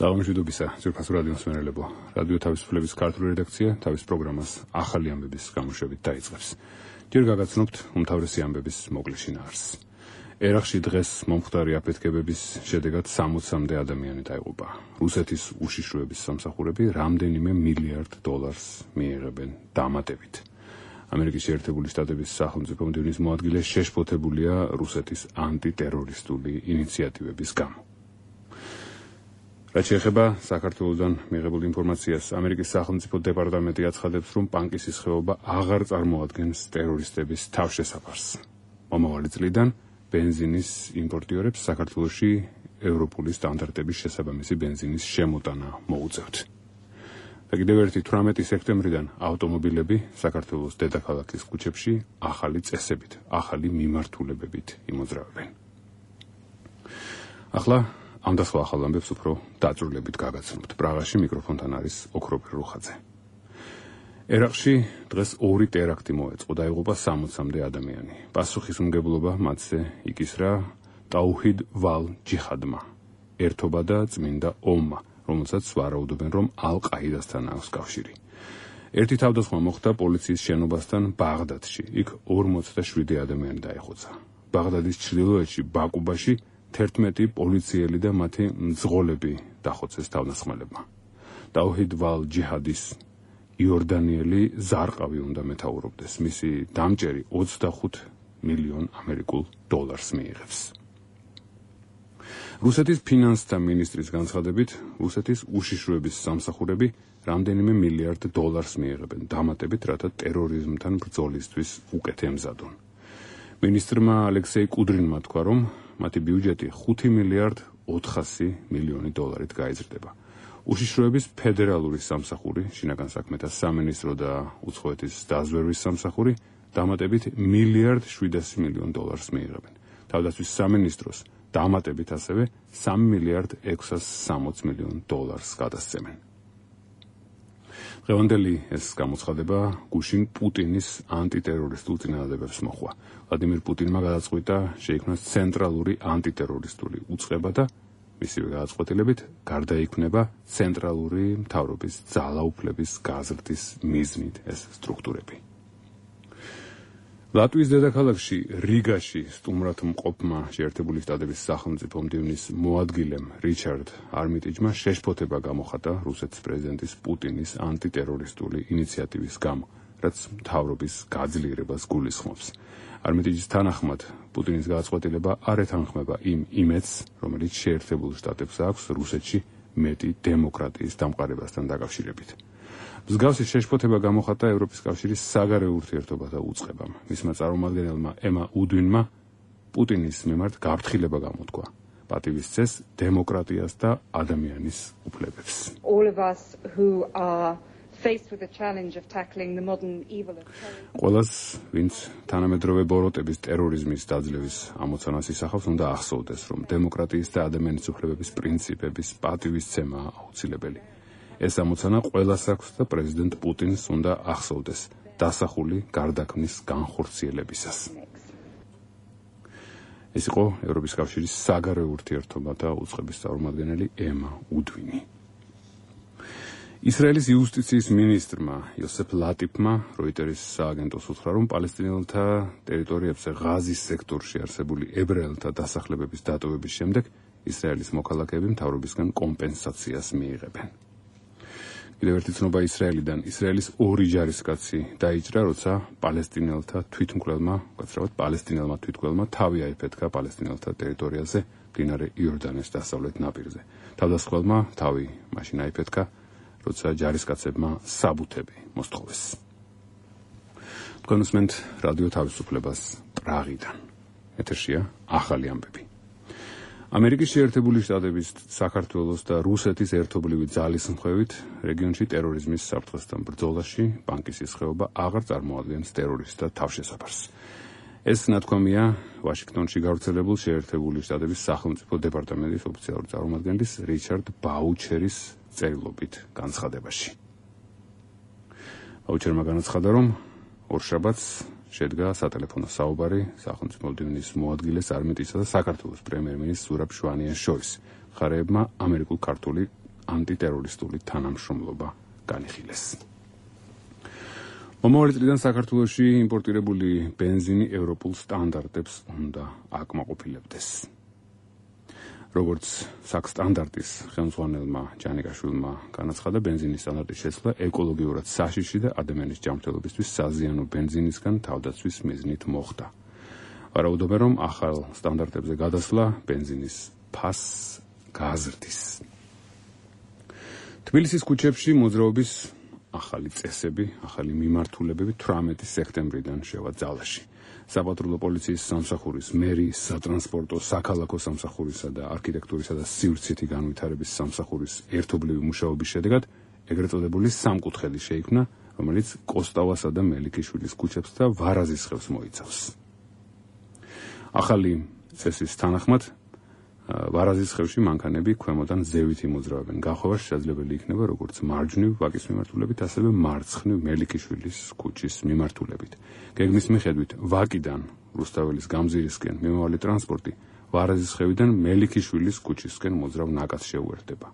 Გამშვიდობისა, ძვირფასო რადიო მსმენელებო. რადიო თავისუფლების ქართული რედაქცია თავის პროგრამას ახალი ამბების გამოშვებით დაიწყებს. ჯერ გაგაცნობთ უმთავრესი ამბების მოკლე შინაარსს. ერაყში დღეს მომხდარი აფეთქებების შედეგად 60-მდე ადამიანი დაიღუპა. რუსეთის უშიშროების სამსახურები რამდენიმე მილიარდ დოლარს მიიღებენ დამატებით. ამერიკის შეერთებული შტატების სახელმწიფო მდივნის მოადგილე შეშფოთებულია რუსეთის ანტიტერორისტული ინიციატივების გამო. რაც შეეხება საქართველოსთან მიღებულ ინფორმაციას, ამერიკის სახელმწიფო დეპარტამენტი აცხადებს, რომ პანკისის ხეობა აღარ წარმოადგენს ტერორისტების თავშესაფარს. მომავალი წლიდან ბენზინის იმპორტიორებს საქართველოში ევროპული სტანდარტების შესაბამისი ბენზინის შემოტანა მოუწევთ. და კიდევ ერთი 18 სექტემბრიდან ავტომობილები საქართველოს დედაქალაქის ქუჩებში ახალი წესებით, ახალი მიმართულებებით იმოძრავებენ. ახლა ამ და სხვა ახალ ამბებს უფრო დაწვრილებით გაგაცნობთ. პრაღაში მიკროფონთან არის ოქროპირ რუხაძე. ერაყში დღეს 2 ტერაქტი მოეწყო, დაიღუპა 60-მდე ადამიანი. პასუხისმგებლობა მათზე იკისრა ტაუჰიდ ვალ ჯიჰადმა, ერთობა და წმინდა ომმა, რომელსაც ვარაუდობენ, რომ ალ-ყაიდასთან აქვს კავშირი. ერთი თავდასხმა მოხდა პოლიციის შენობასთან ბაღდადში. იქ 47 ადამიანი დაიხოცა. ბაღდადის ჩრდილოეთში ბაკუბაში 11 პოლიციელი და მათი მძღოლები დახოცეს თავდასხმელებმა. ტაუჰიდ ვალ ჯიჰადის იორდანიელი ზარყავი უნდა მეთაურობდეს. მისი დამჭერი 25 მილიონ ამერიკულ დოლარს მიიღებს. რუსეთის ფინანსთა მინისტრის განცხადებით, რუსეთის უშიშროების სამსახურები რამდენიმე მილიარდ დოლარს მიიღებენ დამატებით, რათა ტერორიზმთან ბრძოლისთვის უკეთ ემზადონ. მინისტრმა ალექსეი კუდრინმა თქვა, რომ მათი ბიუჯეტი 5 მილიარდ 400 მილიონი დოლარით გაიზრდება. უშიშროების ფედერალური სამსახური, შინაგან საქმეთა სამინისტრო და უცხოეთის დაზვერვის სამსახური დამატებით მილიარდ 700 მილიონ დოლარს მიიღებენ. თავდაცვის სამინისტროს დამატებით ასევე 3 მილიარდ 660 მილიონ დოლარს გადასცემენ. დღევანდელი ეს გამოცხადება გუშინ პუტინის ანტიტერორისტულ წინადადებებს მოჰყვა. ვლადიმირ პუტინმა გადაწყვიტა შეიქმნას ცენტრალური ანტიტერორისტული უწყება და მისივე გადაწყვეტილებით გარდაიქმნება ცენტრალური მთავრობის ძალაუფლების გაზრდის მიზნით ეს სტრუქტურები. ლატვიის დედაქალაქში რიგაში სტუმრად მყოფმა შეერთებული შტატების სახელმწიფო მდივნის მოადგილემ რიჩარდ არმიტიჯმა შეშფოთება გამოხატა რუსეთის პრეზიდენტის პუტინის ანტიტერორისტული ინიციატივის გამო, რაც მთავრობის გაძლიერებას გულისხმობს. არმიტიჯის თანახმად, პუტინის გადაწყვეტილება არ ეთანხმება იმ იმედს, რომელიც შეერთებულ შტატებს აქვს რუსეთში მეტი დემოკრატიის დამყარებასთან დაკავშირებით. მსგავსი შეშფოთება გამოხატა ევროპის კავშირის საგარეო ურთიერთობათა უწყებამ. მისმა წარმომადგენელმა ემა უდვინმა პუტინის მიმართ გაფრთხილება გამოთქვა. პატივის წეს დემოკრატიას და ადამიანის უფლებებს. ყველას, ვინც თანამედროვე ბოროტების ტერორიზმის დაძლევის ამოცანას ისახავს, უნდა ახსოვდეს, რომ დემოკრატიის და ადამიანის უფლებების პრინციპების პატივისცემა აუცილებელი. ეს ამოცანა ყველას აქვს და პრეზიდენტ პუტინს უნდა ახსოვდეს დასახული გარდაქმნის განხორციელებისას. ეს იყო ევროპის კავშირის საგარეო ურთიერთობათა უწყების წარმომადგენელი ემა უდვინი. ისრაელის იუსტიციის მინისტრმა იოსეფ ლატიფმა როიტერის სააგენტოს უთხრა, რომ პალესტინელთა ტერიტორიებზე ღაზის სექტორში არსებული ებრაელთა დასახლებების დატოვების შემდეგ ისრაელის მოქალაქეები მთავრობისგან კომპენსაციას მიიღებენ. კიდევ ერთი ცნობა ისრაელიდან. ისრაელის 2 ჯარისკაცი დაიჭრა, როცა პალესტინელთა თვითმკვლელმა თავი აიფეთქა პალესტინელთა ტერიტორიაზე მდინარე იორდანეს დასავლეთ ნაპირზე. თავდასხმელმა თავი მაშინ აიფეთქა, როცა ჯარისკაცებმა საბუთები მოსთხოვეს. თქვენ უსმენთ რადიო თავისუფლებას პრაღიდან. ეთერშია ახალი ამბები. ამერიკის შეერთებული შტატების, საქართველოს და რუსეთის ერთობლივი ძალის მხევით რეგიონში ტერორიზმის საფრთხესთან ბრძოლაში პანკისის ხეობა აღარ წარმოადგენს ტერორისტთა თავშესაფარს. ეს ნათქვამია ვაშინგტონში გავრცელებულ შეერთებული შტატების სახელმწიფო დეპარტამენტის ოფიციალური წარმომადგენლის რიჩარდ ბაუჩერის წერილობით განცხადებაში. ბაუჩერმა განაცხადა, რომ ორშაბათს შედგა სატელეფონო საუბარი სახელმწიფო მდივნის მოადგილეს არმიტიჯსა და საქართველოს პრემიერ-მინისტრ ზურაბ შვანიას შორის. მხარეებმა ამერიკულ-ქართული ანტიტერორისტული თანამშრომლობა განიხილეს. მომავალი წლიდან საქართველოში იმპორტირებული ბენზინი ევროპულ სტანდარტებს უნდა აკმაყოფილებდეს. როგორც საქსტანდარტის ხელმძღვანელმა ჯანიკაშვილმა განაცხადა, ბენზინის სტანდარტის შეცვლა ეკოლოგიურად საშიში და ადამიანის ჯანმრთელობისთვის საზიანო ბენზინისგან თავდაცვის მიზნით მოხდა. ვარაუდობენ, რომ ახალ სტანდარტებზე გადასვლა ბენზინის ფასს გააზრდის. თბილისის ქუჩებში მოძრაობის ახალი წესები, ახალი მიმართულებები 18 სექტემბრიდან შევა ძალაში. საპატრულო პოლიციის სამსახურის, მერის, სატრანსპორტო, საქალაქო სამსახურისა და არქიტექტურისა და სივრცითი განვითარების სამსახურის ერთობლივი მუშაობის შედეგად ეგრეთ წოდებული სამკუთხედი შეიქმნა, რომელიც კოსტავასა და მელიქიშვილის ქუჩებს და ვარაზის ხევს მოიცავს. ახალი წესის თანახმად ვარაზის ხევში მანქანები ქვემოდან ზევით იმოძრავებენ. გახვევა შესაძლებელი იქნება როგორც მარჯვნივ ვაკის მიმართულებით, ასევე მარცხნივ მელიქიშვილის ქუჩის მიმართულებით. გეგმის მიხედვით ვაკიდან რუსთაველის გამზირისკენ მიმავალი ტრანსპორტი ვარაზის ხევიდან მელიქიშვილის ქუჩისკენ მოძრავ ნაკადს შეუერთდება.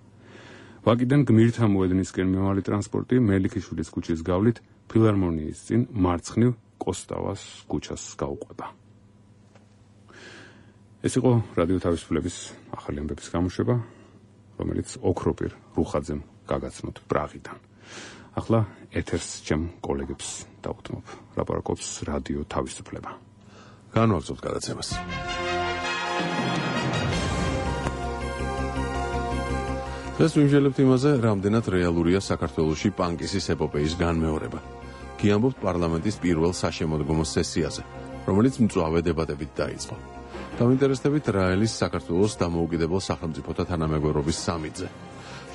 ვაკიდან გმირთა მოედნისკენ მიმავალი ტრანსპორტი მელიქიშვილის ქუჩის გავლით ფილარმონიის წინ მარცხნივ კოსტავას ქუჩას გაუყვება. ეს იყო რადიო თავისუფლების ახალი ამბების გამოშვება, რომელიც ოქროპირ რუხაძემ გაგაცნოთ პრაღიდან. ახლა ეთერს ჩემ კოლეგებს დავუთმობ. ლაპარაკობს რადიო თავისუფლება. განვაგრძობთ გადაცემას. დღეს ვიმსჯელებთ იმაზე, რამდენად რეალურია საქართველოში პანკისის ეპოპეის განმეორება. გიამბობთ პარლამენტის პირველ საშემოდგომო სესიაზე, რომელიც მწვავე დებატებით დაიწყო. დავინტერესდებით რაელის საქართველოს დამოუკიდებელ სახელმწიფოთა თანამეგობრობის სამიტზე.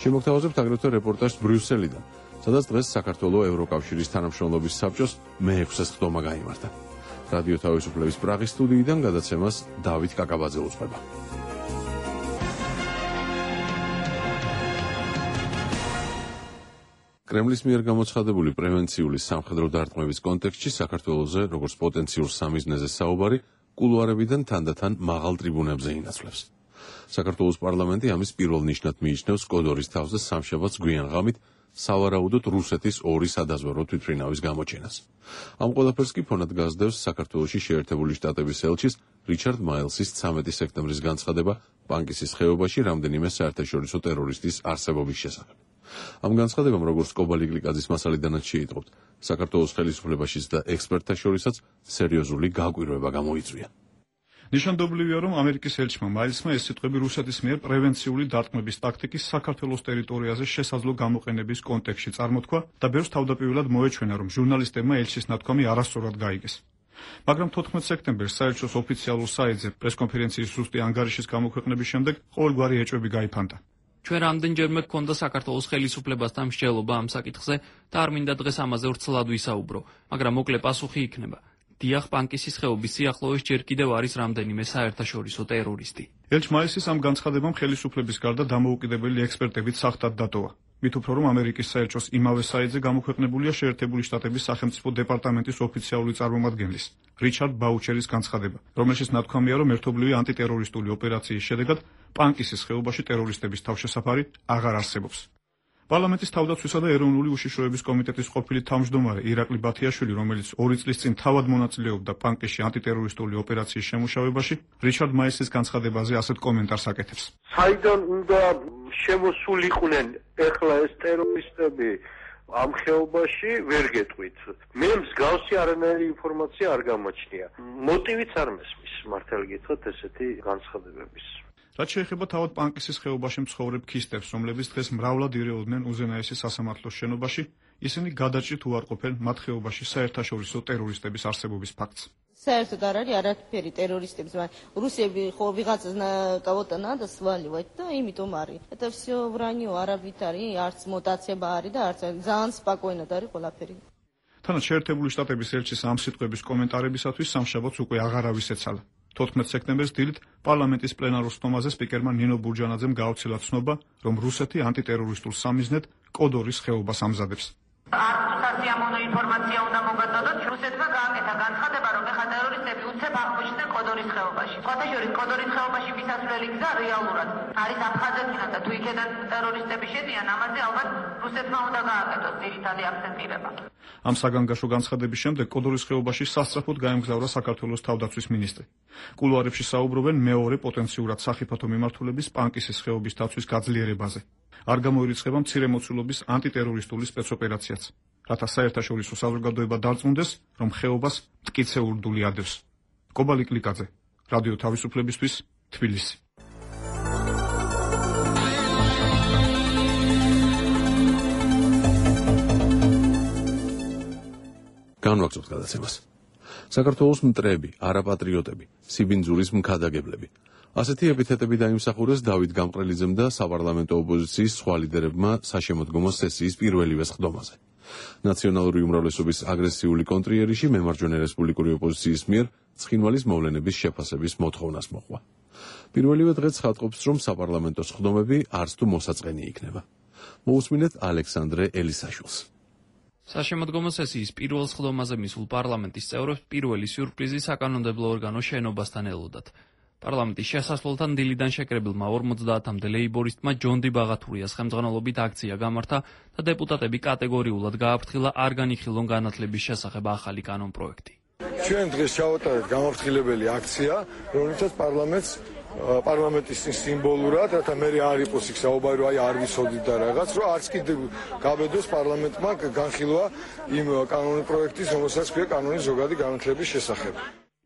შემოგთავაზებთ აგრეთვე რეპორტაჟს ბრიუსელიდან, სადაც დღეს საქართველოს ევროკავშირის თანამშრომლობის საბჭოს მე-6 ხდომა გაიმართა. რადიო თავისუფლების პრაღის სტუდიიდან გადაცემას დავით კაკაბაძე უძღვება. კრემლის მიერ გამოცხადებული პრევენციული სამხედრო დარტყმების კონტექსტში საქართველოზე, როგორც პოტენციურ სამიზნეზე საუბარი, კულუარებიდან თანდათან მაღალ ტრიბუნებზე ინაცვლებს. საქართველოს პარლამენტი ამის პირველ ნიშნად მიიჩნევს კოდორის თავს და სამშაბათს გვიან ღამით სავარაუდოდ რუსეთის ორი სადაზვერვო თვითმფრინავის გამოჩენას. ამ ყველაფერს კი ფონად გასდევს საქართველოში შეერთებული შტატების ელჩის რიჩარდ მაილსის 13 სექტემბრის განცხადება პანკისის ხეობაში რამდენიმე საერთაშორისო ტერორისტის არსებობის შესახებ. ამ განცხადებამ, როგორც კობალი გლიკაძის მასალიდანაც შეიტყობთ, საქართველოს ხელისუფლებაშიც და ექსპერტთა შორისაც სერიოზული გაკვირვება გამოიწვია. ნიშანდობლივია, რომ ამერიკის ელჩმა მაილსმა ეს სიტყვები რუსეთის მიერ პრევენციული დარტყმების ტაქტიკის საქართველოს ტერიტორიაზე შესაძლო გამოყენების კონტექსტში წარმოთქვა და ბევრს თავდაპირველად მოეჩვენა, რომ ჟურნალისტებმა ელჩის ნათქვამი არასწორად გაიგეს. მაგრამ 14 სექტემბერს საელჩოს ოფიციალურ საიტზე პრესკონფერენციის ზუსტი ანგარიშის გამოქვეყნების შემდეგ ყოველგვარი ეჭვები გაიფანტა. ჩვენ რამდენჯერმე გქონდა საქართველოს ხელისუფლებასთან მსჯელობა ამ საკითხზე და არ მინდა დღეს ამაზე ვრცლად ვისაუბრო, მაგრამ მოკლე პასუხი იქნება. დიახ, პანკისის ხეობის სიახლოვეს ჯერ კიდევ არის რამდენიმე საერთაშორისო ტერორისტი. ელჩ მაილსის ამ განცხადებამ ხელისუფლების გარდა დამოუკიდებელი ექსპერტებით სახტად დატოვა. მით უფრო რომ ამერიკის საელჩოს იმავე საიტზე გამოქვეყნებულია შეერთებული შტატების სახელმწიფო დეპარტამენტის ოფიციალური წარმომადგენლის რიჩარდ ბაუჩერის განცხადება, რომელშიც ნათქვამია, რომ ერთობლივი ანტიტერორისტული ოპერაციის შედეგად პანკისის ხეობაში ტერორისტების თავშესაფარი აღარ არსებობს. პარლამენტის თავდაცვისა და ეროვნული უშიშროების კომიტეტის ყოფილი თავმჯდომარე ირაკლი ბათიაშვილი, რომელიც 2 წლის წინ თავად მონაწილეობდა პანკისში ანტიტერორისტული ოპერაციის შემუშავებაში, რიჩარდ მაილსის განცხადებაზე ასეთ კომენტარს აკეთებს. საიდან უნდა შემოსულიყვნენ ეხლა ეს ტერორისტები ამ ხეობაში, ვერ გეტყვით. მე მსგავსი არანაირი ინფორმაცია არ გამაჩნია. მოტივიც არ მესმის, მართალი გითხრათ, ესეთი განცხადებების. რაც შეეხება თავად პანკისის ხეობაში მცხოვრებ ქისტებს, რომლებიც დღეს მრავლად ირეოდნენ უზენაესი სასამართლოს შენობაში, ისინი გადაჭრით უარყოფენ მათ ხეობაში საერთაშორისო ტერორისტების არსებობის ფაქტს. საერთოდ არ არის არაფერი ტერორისტებს, რუსები ხო ვიღაცას кого-то надо сваливать და იმიტომ არის. Это всё вранье, არავით არის, არც მუტაცება არის და არც ძალიან спокойно არის ყველაფერი. თანაც შეერთებული შტატების ელჩის ამ სიტყვების კომენტარებისათვის სამშაბათს უკვე აღარავის ეცალა. 14 სექტემბერს დილით პარლამენტის პლენარულ სტომაზე სპიკერმა ნინო ბურჯანაძემ გააუცილა ცნობა, რომ რუსეთი ანტიტერორისტულ სამიზნედ კოდორის ხეობას ამზადებს. არც სასიამოვნო ინფორმაცია უნდა მოგაწოდოთ, რუსეთმა გააკეთა განცხადება, რომ ეხლა ტერორისტები ოპერაციები უცებ აღმოჩნდნენ კოდორის ხეობაში. ხოთეშორის კოდორის ხეობაში მისასვლელი გზა რეალურად არის აფხაზეთიდან და თუ იქედან ტერორისტები შედიან, ამაზე ალბათ რუსეთმა უნდა გააკეთოს ძირითადი აქცენტირება. ამ საგანგაშო განცხადების შემდეგ კოდორის ხეობაში სასწრაფოდ გაემგზავრა საქართველოს თავდაცვის მინისტრი. კულუარებში საუბრობენ მეორე პოტენციურად სახიფათო მიმართულების პანკისის ხეობის დაცვის გაძლიერებაზე. არ გამოირიცხება მცირემოცულობის ანტიტერორისტული სპეცოპერაციაც, რათა საერთაშორისო საზოგადოება დარწმუნდეს, რომ ხეობას მტკიცე ურდული ადევს. კობალი კლიკაძე, რადიო თავისუფლებისთვის, თბილისი. განვაგრძობთ გადაცემას. საქართველოს მტრები, არაპატრიოტები, სიბინძურის მქადაგებლები. ასეთი ეპითეტები დაიმსახურეს დავით გამყრელიძემ და საპარლამენტო ოპოზიციის სხვა ლიდერებმა საშემოდგომო სესიის პირველივე სხდომაზე. ნაციონალური უმრავლესობის აგრესიული კონტრიერიში მემარჯვენე რესპუბლიკური ოპოზიციის მიერ ცხინვალის მოვლენების შეფასების მოთხოვნას მოყვა. პირველივე დღე ცხადყოფს, რომ საპარლამენტო სხდომები არც თუ მოსაწყენი იქნება. მოусმინეთ ალექსანდრე ელისაშვილს. საშემოდგომო სესიის პირველ სხდომაზე მისულ პარლამენტის წევრებს პირველი სიურპრიზი საკანონმდებლო ორგანოს შენობასთან ელოდათ. პარლამენტის შესასვლელთან დილიდან შეკრებილმა 50-მდე ლეიბორისტმა ჯონდი ბაღათურიას ხელმძღვანელობით აქცია გამართა და დეპუტატები კატეგორიულად გააფრთხილა არ განიხილონ განათლების შესახებ ახალი კანონპროექტი. ჩვენ დღეს ჩავატარეთ გამაფრთხილებელი აქცია, რომელსაც პარლამენტის სიმბოლურად, რათა მე არ იყოს იქ საუბარი, რომ არ ვიცოდით და რაღაც, რომ არც კიდევ გაბედოს პარლამენტმა განხილვა იმ კანონპროექტის, რომელსაც ქვია კანონის ზოგადი განათლების შესახებ.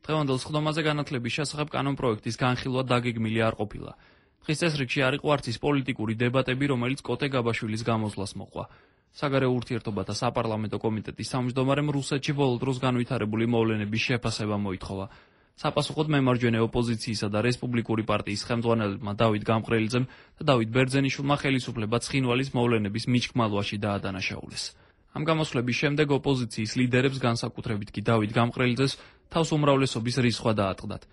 დღევანდელ სხდომაზე განათლების შესახებ კანონპროექტის განხილვა დაგეგმილი არ ყოფილა. დღის წესრიგში არ იყო არც ის პოლიტიკური დებატები, რომელიც კოტე გაბაშვილის გამოსვლას მოყვა. საგარეო ურთიერთობათა საპარლამენტო კომიტეტის თავმჯდომარემ რუსეთში ბოლო დროს განვითარებული მოვლენების შეფასება მოითხოვა. საპასუხოდ მემარჯვენე ოპოზიციისა და რესპუბლიკური პარტიის ხელმძღვანელებმა დავით გამყრელიძემ და დავით ბერძენიშვილმა ხელისუფლება ცხინვალის მოვლენების მიჩქმალვაში დაადანაშაულეს. ამ გამოსვლების შემდეგ ოპოზიციის ლიდერებს, განსაკუთრებით კი დავით გამყრელიძეს, თავს უმრავლესობის რისხვა დაატყდათ.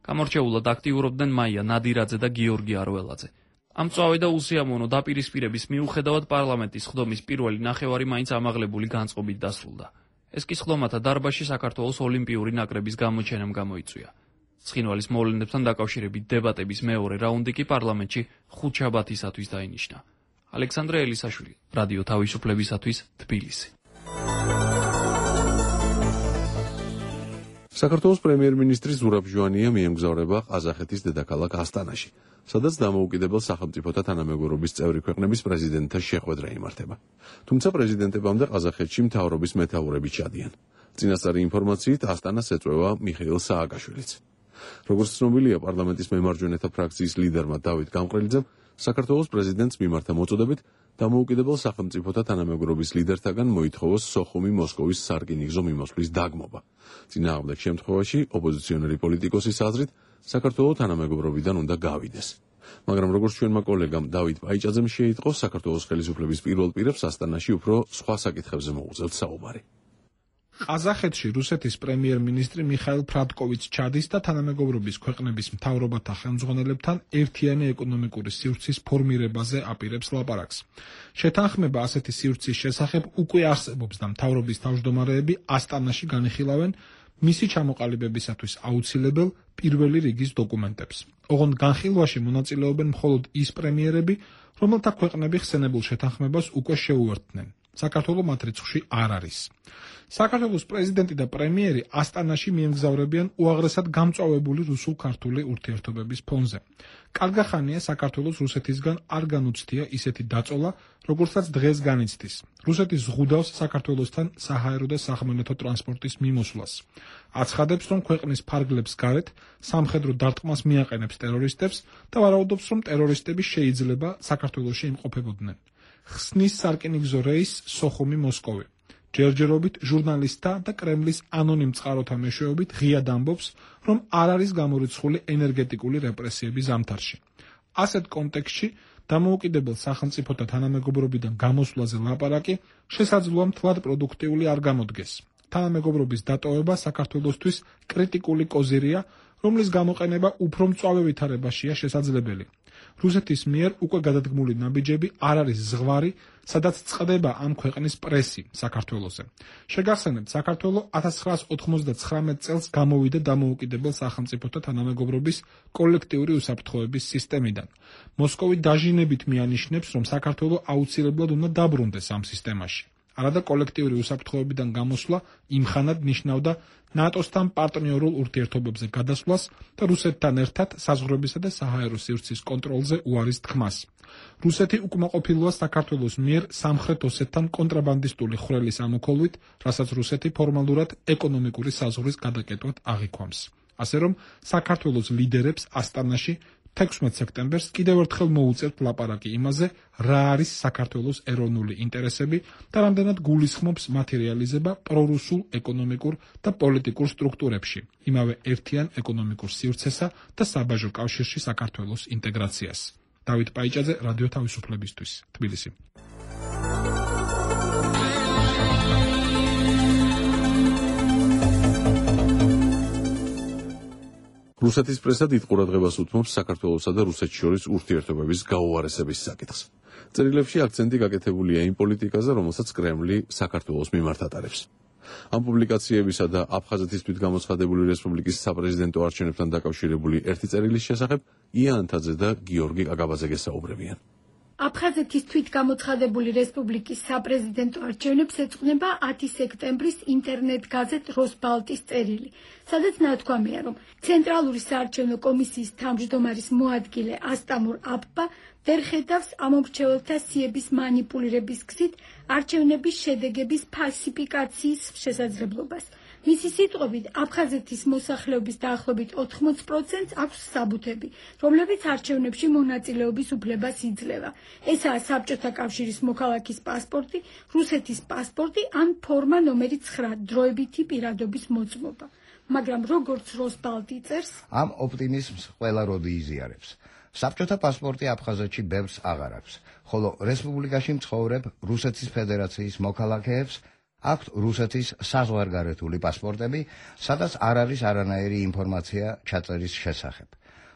გამორჩეულად აქტიურობდნენ მაია ნადირაძე და გიორგი არველაძე. ამ წვავე და უსიამოვნო დაპირისპირების მიუხედავად პარლამენტის სხდომის პირველი ნახევარი მაინც ამაღლებული განწყობით დასრულდა. ეს კი სხდომათა დარბაზში საქართველოს ოლიმპიური ნაკრების გამოჩენამ გამოიწვია. ცხინვალის მოვლენებთან დაკავშირებით დებატების მეორე რაუნდი კი პარლამენტში ხუთშაბათისათვის დაინიშნა. ალექსანდრე ელისაშვილი, რადიო თავისუფლებისათვის, თბილისი. საქართველოს პრემიერ-მინისტრი ზურაბ ჟვანია მიემგზავრება ყაზახეთის დედაქალაქ ასტანაში, სადაც დამოუკიდებელ სახელმწიფოთა თანამეგობრობის წევრი ქვეყნების პრეზიდენტთა შეხვედრა იმართება. თუმცა პრეზიდენტებამდე ყაზახეთში მთავრობის მეთაურები ჩადიან. წინასწარი ინფორმაციით ასტანას ეწვევა მიხეილ სააკაშვილიც. როგორც ცნობილია, პარლამენტის მემარჯვენეთა ფრაქციის ლიდერმა დავით გამყრელიძემ საქართველოს პრეზიდენტს მიმართა მოწოდებით დამოუკიდებელ სახელმწიფოთა თანამეგობრობის ლიდერთაგან მოითხოვოს სოხუმი მოსკოვის სარკინიგზო მიმოსვლის დაგმობა. წინააღმდეგ შემთხვევაში ოპოზიციონერი პოლიტიკოსის აზრით საქართველოს თანამეგობრობიდან უნდა გავიდეს. მაგრამ როგორც ჩვენმა კოლეგამ დავით პაიჭაძემ შეიტყო, საქართველოს ხელისუფლების პირველ პირებს ასტანაში უფრო სხვა საკითხებზე მოუწევთ საუბარი. ყაზახეთში რუსეთის პრემიერ-მინისტრი მიხაილ ფრადკოვიც ჩადის და თანამეგობრობის ქვეყნების მთავრობათა ხელმძღვანელებთან ერთიანი ეკონომიკური სივრცის ფორმირებაზე აპირებს ლაპარაკს. შეთანხმება ასეთი სივრცის შესახებ უკვე არსებობს და მთავრობის თავმჯდომარეები ასტანაში განიხილავენ მისი ჩამოყალიბებისათვის აუცილებელ პირველი რიგის დოკუმენტებს. ოღონდ განხილვაში მონაწილეობენ მხოლოდ ის პრემიერები, რომელთა ქვეყნები ხსენებულ შეთანხმებას უკვე შეუერთდნენ. საქართველოს მათ რიცხვში არ არის. საქართველოს პრეზიდენტი და პრემიერი ასტანაში მიემგზავრებიან უაღრესად გამწვავებული რუსულ-ქართული ურთიერთობების ფონზე. კარგახანია საქართველოს რუსეთისგან არ განუცდია ისეთი დაწოლა, როგორცაც დღეს განიცდის. რუსეთი ზღუდავს საქართველოსთან საჰაერო და სახმელეთო ტრანსპორტის მიმოსვლას. აცხადებს, რომ ქვეყნის ფარგლებს გარეთ სამხედრო დარტყმას მიაყენებს ტერორისტებს და ვარაუდობს, რომ ტერორისტები შეიძლება საქართველოში იმყოფებოდნენ. ხსნის სარკინიგზო რეისს სოხუმი-მოსკოვი. ჯერჯერობით ჟურნალისტთა და კრემლის ანონიმ წყაროთა მეშვეობით ღიად ამბობს, რომ არ არის გამორიცხული ენერგეტიკული რეპრესიების ზამთარში. ასეთ კონტექსტში დამოუკიდებელ სახელმწიფოთა თანამეგობრობიდან გამოსვლაზე ლაპარაკი შესაძლოა მთლად პროდუქტიული არ გამოდგეს. თანამეგობრობის დატოვება საქართველოსთვის კრიტიკული კოზირია, რომლის გამოყენება უფრო მწვავე ვითარებაშია შესაძლებელი. რუსეთის მიერ უკვე გადადგმული ნაბიჯები არ არის ზღვარი, სადაც წყდება ამ ქვეყნის პრესი საქართველოზე. შეგახსენებთ, საქართველო 1999 წელს გამოვიდა დამოუკიდებელ სახელმწიფოთა თანამეგობრობის კოლექტიური უსაფრთხოების სისტემიდან. მოსკოვი დაჟინებით მიანიშნებს, რომ საქართველო აუცილებლად უნდა დაბრუნდეს ამ სისტემაში. არადა კოლექტიური უსაფრთხოებიდან გამოსვლა იმხანად ნიშნავდა ნატოსთან პარტნიორულ ურთიერთობებზე გადასვლას და რუსეთთან ერთად საზღვრებისა და საჰაერო სივრცის კონტროლზე უარის თქმას. რუსეთი უკმაყოფილოა საქართველოს მიერ სამხრეთ ოსეთთან კონტრაბანდისტული ხვრელის ამოქოლვით, რასაც რუსეთი ფორმალურად ეკონომიკური საზღვრის გადაკეტვად აღიქვამს. ასე რომ, საქართველოს ლიდერებს ასტანაში 16 სექტემბერს კიდევ ერთხელ მოუწევთ ლაპარაკი იმაზე, რა არის საქართველოს ეროვნული ინტერესები და რამდენად გულისხმობს მათი რეალიზება პრორუსულ ეკონომიკურ და პოლიტიკურ სტრუქტურებში, იმავე ერთიან ეკონომიკურ სივრცესა და საბაჟო კავშირში საქართველოს ინტეგრაციას. დავით პაიჭაძე, რადიო თავისუფლებისთვის, თბილისი. რუსეთის პრესა დიდ ყურადღებას უთმობს საქართველოსა და რუსეთს შორის ურთიერთობების გაუარესების საკითხს. წერილებში აქცენტი გაკეთებულია იმ პოლიტიკაზე, რომელსაც კრემლი საქართველოს მიმართ ატარებს. ამ პუბლიკაციებისა და აფხაზეთის თვითგამოცხადებული რესპუბლიკის საპრეზიდენტო არჩევნებთან დაკავშირებული ერთი წერილის შესახებ ია ანთაძე და გიორგი კაკაბაძე გესაუბრებიან. აფხაზეთის თვითგამოცხადებული რესპუბლიკის საპრეზიდენტო არჩევნებს ეძღვნება 10 სექტემბრის ინტერნეტ გაზეთ როსბალტის წერილი, სადაც ნათქვამია, რომ ცენტრალური საარჩევნო კომისიის თავმჯდომარის მოადგილე ასტამურ აბბა ვერ ხედავს ამომრჩეველთა სიების მანიპულირების გზით არჩევნების შედეგების ფალსიფიკაციის შესაძლებლობას. მისი სიტყვებით, აფხაზეთის მოსახლეობის დაახლოებით 80%-ს აქვს საბუთები, რომლებიც არჩევნებში მონაწილეობის უფლებას იძლევა. ესაა საბჭოთა კავშირის მოქალაქის პასპორტი, რუსეთის პასპორტი ან ფორმა ნომერი 9 დროებითი პირადობის მოწმობა. მაგრამ როგორც როსბალტი წერს, ამ ოპტიმიზმს ყველა როდი იზიარებს. საბჭოთა პასპორტი აფხაზეთში ბევრს აღარ აქვს, ხოლო რესპუბლიკაში მცხოვრებ რუსეთის ფედერაციის მოქალაქეებს აქვთ რუსეთის საზღვარგარეთული პასპორტები, სადაც არ არის არანაირი ინფორმაცია ჩაწერის შესახებ.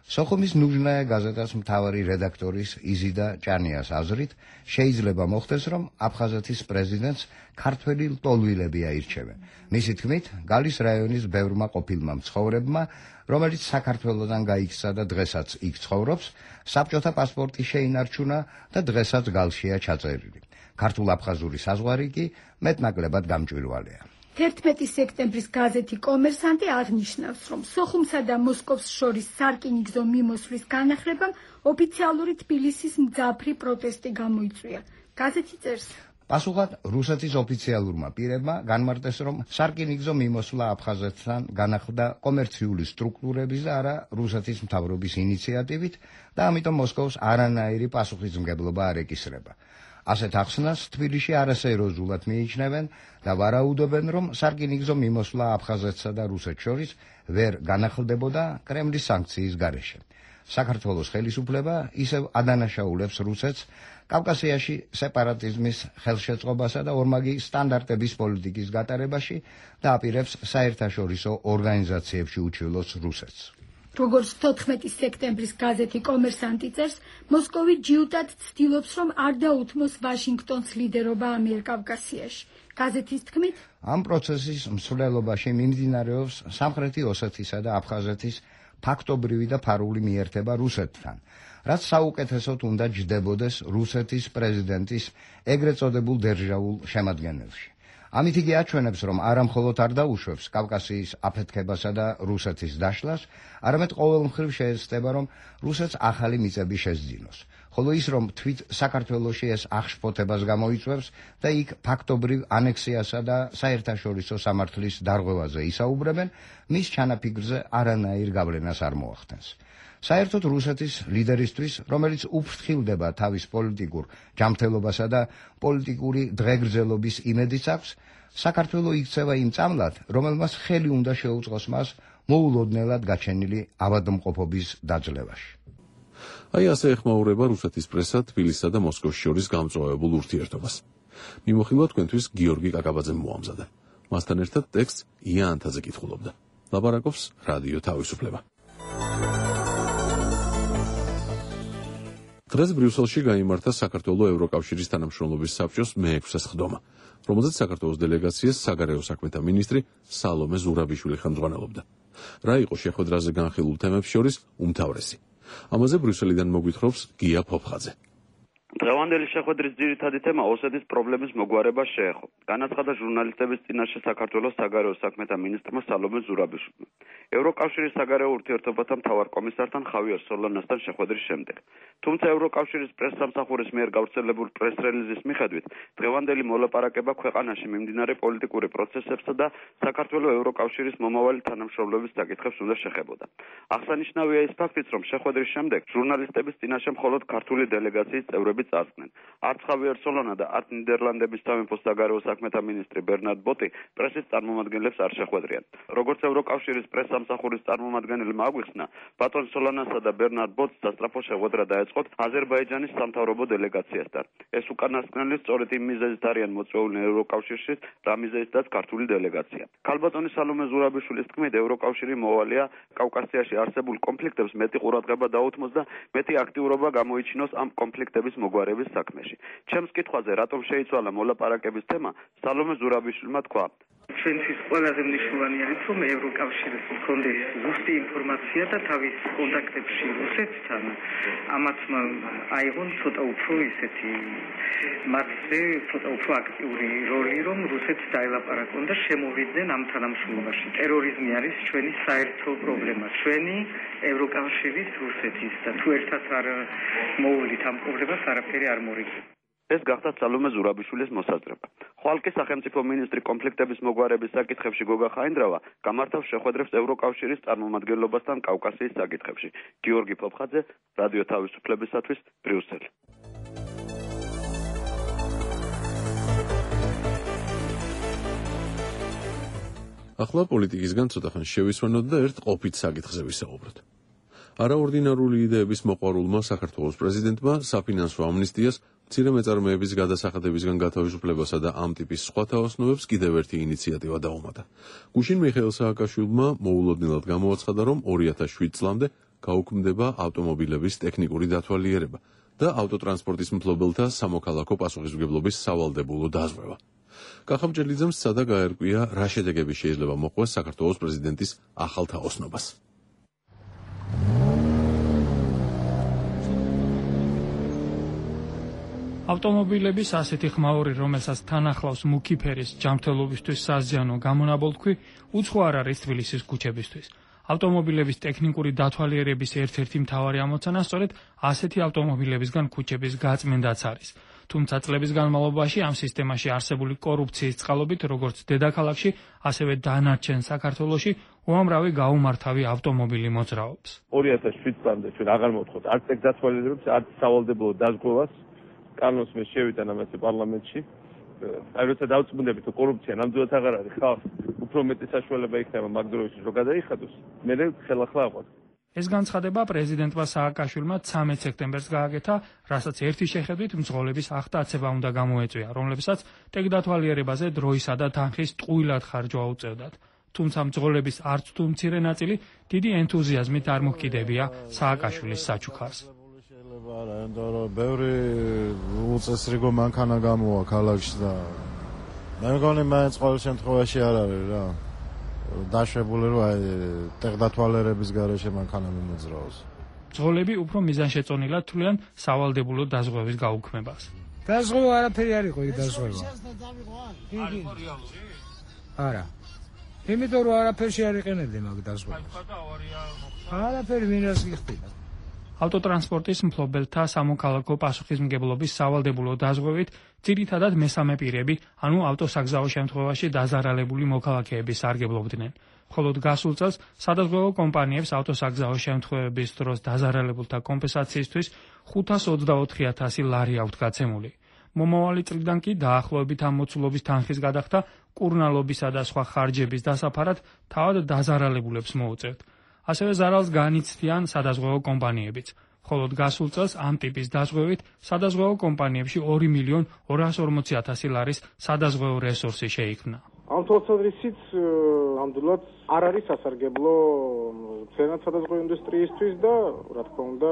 სოხუმის ნუჟნაია გაზეტას მთავარი რედაქტორის იზიდა ჭანიას აზრით, შეიძლება მოხდეს, რომ აფხაზეთის პრეზიდენტს ქართველი ლტოლვილები აირჩევენ. მისი თქმით, გალის რაიონის ბევრმა ყოფილმა მცხოვრებმა, რომელიც საქართველოდან გაიქცა და დღესაც იქ ცხოვრობს, საბჭოთა პასპორტი შეინარჩუნა და დღესაც გალშია ჩაწერილი. ქართულ-აფხაზური საზღვარი კი მეტნაკლებად გამჭვირვალეა. 11 სექტემბრის გაზეთი კომერსანტი აღნიშნავს, რომ სოხუმსა და მოსკოვს შორის სარკინიგზო მიმოსვლის განახლებამ ოფიციალური თბილისის მძაფრი პროტესტი გამოიწვია. გაზეთი წერს, პასუხად რუსეთის ოფიციალურმა პირებმა განმარტეს, რომ სარკინიგზო მიმოსვლა აფხაზეთთან განახლდა კომერციული სტრუქტურების და არა რუსეთის მთავრობის ინიციატივით და ამიტომ მოსკოვს არანაირი პასუხისმგებლობა არ ეკისრება. ასეთ ახსნას თბილისში არასერიოზულად მიიჩნევენ და ვარაუდობენ, რომ სარკინიგზო მიმოსვლა აფხაზეთსა და რუსეთს შორის ვერ განახლდებოდა კრემლის სანქციის გარეშე. საქართველოს ხელისუფლება ისევ ადანაშაულებს რუსეთს კავკასიაში სეპარატიზმის ხელშეწყობასა და ორმაგი სტანდარტების პოლიტიკის გატარებაში და აპირებს საერთაშორისო ორგანიზაციებში უჩივლოს რუსეთს. როგორც 14 სექტემბრის გაზეთი კომერსანტი წერს, მოსკოვი ჯიუტად ცდილობს, რომ არ დაუთმოს ვაშინგტონს ლიდერობა ამიერკავკასიაში. გაზეთის თქმით, ამ პროცესის მსვლელობაში მიმდინარეობს სამხრეთი ოსეთისა და აფხაზეთის ფაქტობრივი და ფარული მიერთება რუსეთთან, რაც საუკეთესოდ უნდა ჯდებოდეს რუსეთის პრეზიდენტის ეგრეთ წოდებულ დერჟავულ შემადგენელში. ამით იგი აჩვენებს, რომ არა მხოლოდ არ დაუშვებს კავკასიის აფეთქებასა და რუსეთის დაშლას, არამედ ყოველმხრივ შეეცდება, რომ რუსეთს ახალი მიწები შესძინოს. ხოლო ის, რომ თვით საქართველოში ეს აღშფოთებას გამოიწვევს და იქ ფაქტობრივ ანექსიასა და საერთაშორისო სამართლის დარღვევაზე ისაუბრებენ, მის ჩანაფიქრზე არანაირ გავლენას არ მოახდენს. საერთოდ რუსეთის ლიდერისთვის, რომელიც უფრთხილდება თავის პოლიტიკურ ჯანმრთელობასა და პოლიტიკური დღეგრძელობის იმედიც აქვს, საქართველო იქცევა იმ წამლად, რომელმაც ხელი უნდა შეუწყოს მას მოულოდნელად გაჩენილი ავადმყოფობის დაძლევაში. აი ასე ეხმაურება რუსეთის პრესა თბილისსა და მოსკოვს შორის გამწვავებულ ურთიერთობას. მიმოხილვა თქვენთვის გიორგი კაკაბაძემ მოამზადა. მასთან ერთად ტექსტს ია ანთაძე კითხულობდა. ლაპარაკობს რადიო თავისუფლება. დღეს ბრიუსელში გაიმართა საქართველოს ევროკავშირის თანამშრომლობის საბჭოს მე-6 სხდომა, რომელზეც საქართველოს დელეგაციას საგარეო საქმეთა მინისტრი სალომე ზურაბიშვილი ხელმძღვანელობდა. რა იყო შეხვედრაზე განხილულ თემებს შორის უმთავრესი? ამაზე ბრიუსელიდან მოგვითხრობს გია ფოფხაძე. დღევანდელი შეხვედრის ძირითადი თემა ოსეთის პრობლემის მოგვარება შეეხო. განაცხადა ჟურნალისტების წინაშე საქართველოს საგარეო საქმეთა მინისტრმა სალომე ზურაბიშვილმა. ევროკავშირის საგარეო ურთიერთობათა მთავარ კომისართან ხავიერ სოლანასთან შეხვედრის შემდეგ. თუმცა ევროკავშირის პრესსამსახურის მიერ გავრცელებულ პრეს-რელიზის მიხედვით, დღევანდელი მოლაპარაკება ქვეყანაში მიმდინარე პოლიტიკური პროცესებსა და საქართველოს ევროკავშირის მომავალი თანამშრომლობის საკითხებს უნდა შეხებოდა. აღსანიშნავია ის ფაქტიც, რომ შეხვედრის შემდეგ ჟურნალისტების წინაშე მხოლოდ ქართული დელეგაციის წევრები წარსდნენ. არც ხავიერ სოლანა და არც ნიდერლანდების სამეფოს საგარეო საქმეთა მინისტრი ბერნარდ ბოტი პრესის წარმომადგენლებს არ შეხვედრიან. როგორც ევროკავშირის პრესსამსახურის წარმომადგენელმა აგვიხსნა, ბატონ სოლანასა და ბერნარდ ბოტს სასწრაფო შეხვედრა დაეწყოთ აზერბაიჯანის სამთავრობო დელეგაციასთან. ეს უკანასკნელი სწორედ იმ მიზეზით არიან მოწვეულნი ევროკავშირში, რა მიზეზითაც ქართული დელეგაცია. ქალბატონი სალომე ზურაბიშვილის თქმით, ევროკავშირი მოვალეა კავკასიაში არსებულ კონფლიქტებს მეტი ყურადღება დაუთმოს და მეტი აქტიურობა გამოიჩინოს ამ კონფლიქტების მოგვარების საქმეში. ჩემს კითხვაზე, რატომ შეიცვალა მოლაპარაკების თემა, სალომე ზურაბიშვილმა თქვა: ჩვენთვის ყველაზე მნიშვნელოვანი არის, რომ ევროკავშირის მქონდეს ზუსტი ინფორმაცია და თავის კონტაქტებში რუსეთთან ამათ აიღონ ცოტა უფრო ისეთი მასზე ცოტა უფრო აქტიური როლი, რომ რუსეთს დაელაპარაკონ და შემოვიდნენ ამ თანამშრომლობაში. ტერორიზმი არის ჩვენი საერთო პრობლემა, ჩვენი ევროკავშირის რუსეთის და თუ ერთად არ მოუვლით ამ პრობლემას, არაფერი არ მორიგდება. ეს გახდა სალომე ზურაბიშვილის მოსაზრება. ხვალკი სახელმწიფო მინისტრი კონფლიქტების მოგვარების საკითხებში გოგა ხაინდრავა გამართავს შეხვედრებს ევროკავშირის წარმომადგენლობასთან კავკასიის საკითხებში. გიორგი ფოფხაძე, რადიო თავისუფლებისათვის, ბრიუსელი. ახლა პოლიტიკისგან ცოტა ხანს შევისვენოთ და ერთ ყოფით საკითხზე ვისაუბროთ. არაორდინარული იდეების მოყვარულმა საქართველოს პრეზიდენტმა საფინანსო ამნისტიას, მცირე მეწარმეების გადასახადებისგან გათავისუფლებასა და ამ ტიპის სხვა თაოსნობებს კიდევ ერთი ინიციატივა დაუმატა. გუშინ მიხეილ სააკაშვილმა მოულოდნელად გამოაცხადა, რომ 2007 წლამდე გაუქმდება ავტომობილების ტექნიკური დათვალიერება და ავტოტრანსპორტის მფლობელთა სამოქალაქო პასუხისმგებლობის სავალდებულო დაზღვევა. კახაბჭელიძემ სცადა გაერკვია, რა შედეგები შეიძლება მოყვეს საქართველოს პრეზიდენტის ახალ თაოსნობას. ავტომობილების ასეთი ხმაური, რომელსაც თან ახლავს მუქი ფერის ჯანმრთელობისთვის საზიანო გამონაბოლქვი, უცხო არ არის თბილისის ქუჩებისთვის. ავტომობილების ტექნიკური დათვალიერების ერთ-ერთი მთავარი ამოცანა სწორედ ასეთი ავტომობილებისგან ქუჩების გაწმენდაც არის. თუმცა წლების განმავლობაში ამ სისტემაში არსებული კორუფციის წყალობით, როგორც დედაქალაქში, ასევე დანარჩენ საქართველოში უამრავი გაუმართავი ავტომობილი მოძრაობს. 2007 წლამდე ჩვენ აღარ მოვთხოვთ არც ტექ დათვალიერებას, არც სავალდებულო დაზღვევას. კანონს მე შევიტან ამაზე პარლამენტში. აი როცა დავწმუნდებით, რომ კორუფცია ნამდვილად აღარ არის, ხალხს უფრო მეტი საშუალება იქნება მაგ დროისთვის რომ გადაიხადოს, მე ხელახლა აყვარ. ეს განცხადება პრეზიდენტმა სააკაშვილმა 13 სექტემბერს გააკეთა, რასაც ერთი შეხედვით მძღოლების აღტაცება უნდა გამოეწვია, რომლებსაც ტექ დათვალიერებაზე დროისა და თანხის ტყუილად ხარჯვა უწევდათ. თუმცა მძღოლების არც თუ მცირე ნაწილი დიდი ენთუზიაზმით არ მოჰკიდებია სააკაშვილის საჩუქარს. ბევრი უწესრიგო მანქანა გამოვა ქალაქში და მე მგონი მაინც ყოველ შემთხვევაში არ არის რა დაშვებული რომ აი ტექ დათვალიერების გარეშე მანქანა მიმოძრაოს. მძღოლები უფრო მიზანშეწონილად თვლიან სავალდებულო დაზღვევის გაუქმებას. დაზღვევა არაფერი არ იყო იქ დაზღვევა. არა. იმიტომ რომ არაფერში არ იყენებდი მაგ დაზღვევას. არაფერი მინას გიხდება. ავტოტრანსპორტის მფლობელთა სამოქალაქო პასუხისმგებლობის სავალდებულო დაზღვევით ძირითადად მესამე პირები, ანუ ავტოსაგზაო შემთხვევაში დაზარალებული მოქალაქეები სარგებლობდნენ. მხოლოდ გასულ წელს სადაზღვევო კომპანიებს ავტოსაგზაო შემთხვევების დროს დაზარალებულთა კომპენსაციისთვის 524,000 ლარი აქვთ გაცემული. მომავალი წლიდან კი დაახლოებით ამ მოცულობის თანხის გადახდა კურნალობისა და სხვა ხარჯების დასაფარად თავად დაზარალებულებს მოუწევთ. ასევე ზარალს განიცდიან სადაზღვევო კომპანიებიც. მხოლოდ გასულ წელს ამ ტიპის დაზღვევით სადაზღვევო კომპანიებში 2,240,000 ლარის სადაზღვევო რესურსი შეიქმნა. ამ თვალსაზრისით ნამდვილად არ არის სასარგებლო მცენარეთა სხვადასხვა ინდუსტრიისთვის და რა თქმა უნდა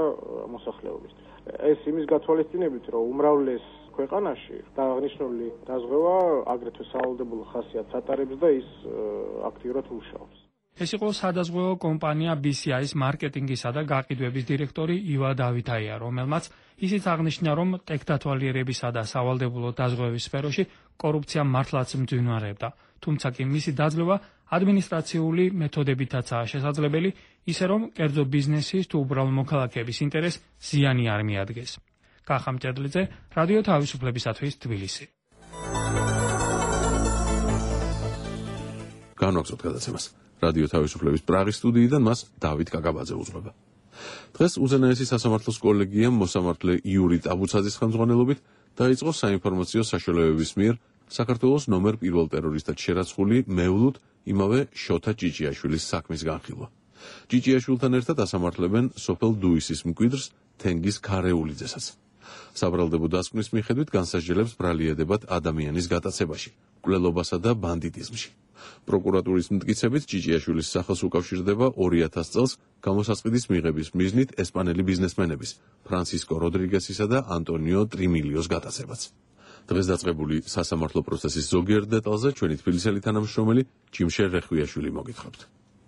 მოსახლეობისთვის. ეს იმის გათვალისწინებით, რომ უმრავლეს ქვეყანაში აღნიშნული დაზღვევა აგრეთვე სავალდებულო ხასიათს ატარებს და ის აქტიურად მუშაობს. ეს იყო სადაზღვევო კომპანია BCI-ის მარკეტინგისა და გაყიდვების დირექტორი ივა დავითაია, რომელმაც ისიც აღნიშნა, რომ ტექდათვალიერებისა და სავალდებულო დაზღვევების სფეროში კორუფცია მართლაც მძვინვარებდა. თუმცა კი მისი დაძლევა ადმინისტრაციული მეთოდებითაცაა შესაძლებელი, ისე რომ კერძო ბიზნესის თუ უბრალო მოქალაქეების ინტერესს ზიანი არ მიადგეს. კახა მჭედლიძე, რადიო თავისუფლებისათვის თბილისი. განვაგრძობთ გადაცემას. რადიო თავისუფლების პრაღის სტუდიიდან მას დავით კაკაბაძე უძღვება. დღეს უზენაესი სასამართლოს კოლეგიამ მოსამართლე იური ტაბუცაძის ხელმძღვანელობით დაიწყო საინფორმაციო საშუალებების მიერ საქართველოს ნომერ 1 ტერორისტად შერაცხული მევლუდ იმავე შოთა ჭიჭიაშვილის საქმის განხილვა. ჭიჭიაშვილთან ერთად ასამართლებენ სოფელ დუისის მკვიდრს თენგიზ ქარეულიძესაც. საბრალდებო დასკვნის მიხედვით განსასჯელებს ბრალიერდებათ ადამიანის გატაცებაში, მკვლელობასა და ბანდიტიზმში. პროკურატურის მტკიცებით ჭიჭიაშვილის სახელს უკავშირდება 2000 წელს გამოსასყიდის მიღების მიზნით ესპანელი ბიზნესმენების ფრანსისკო როდრიგესისა და ანტონიო ტრიმილიოს გატაცებაც. დღეს დაწყებული სასამართლო პროცესის ზოგიერთ დეტალზე ჩვენი თბილისელი თანამშრომელი ჯიმშერ რეხვიაშვილი მოგითხრობთ.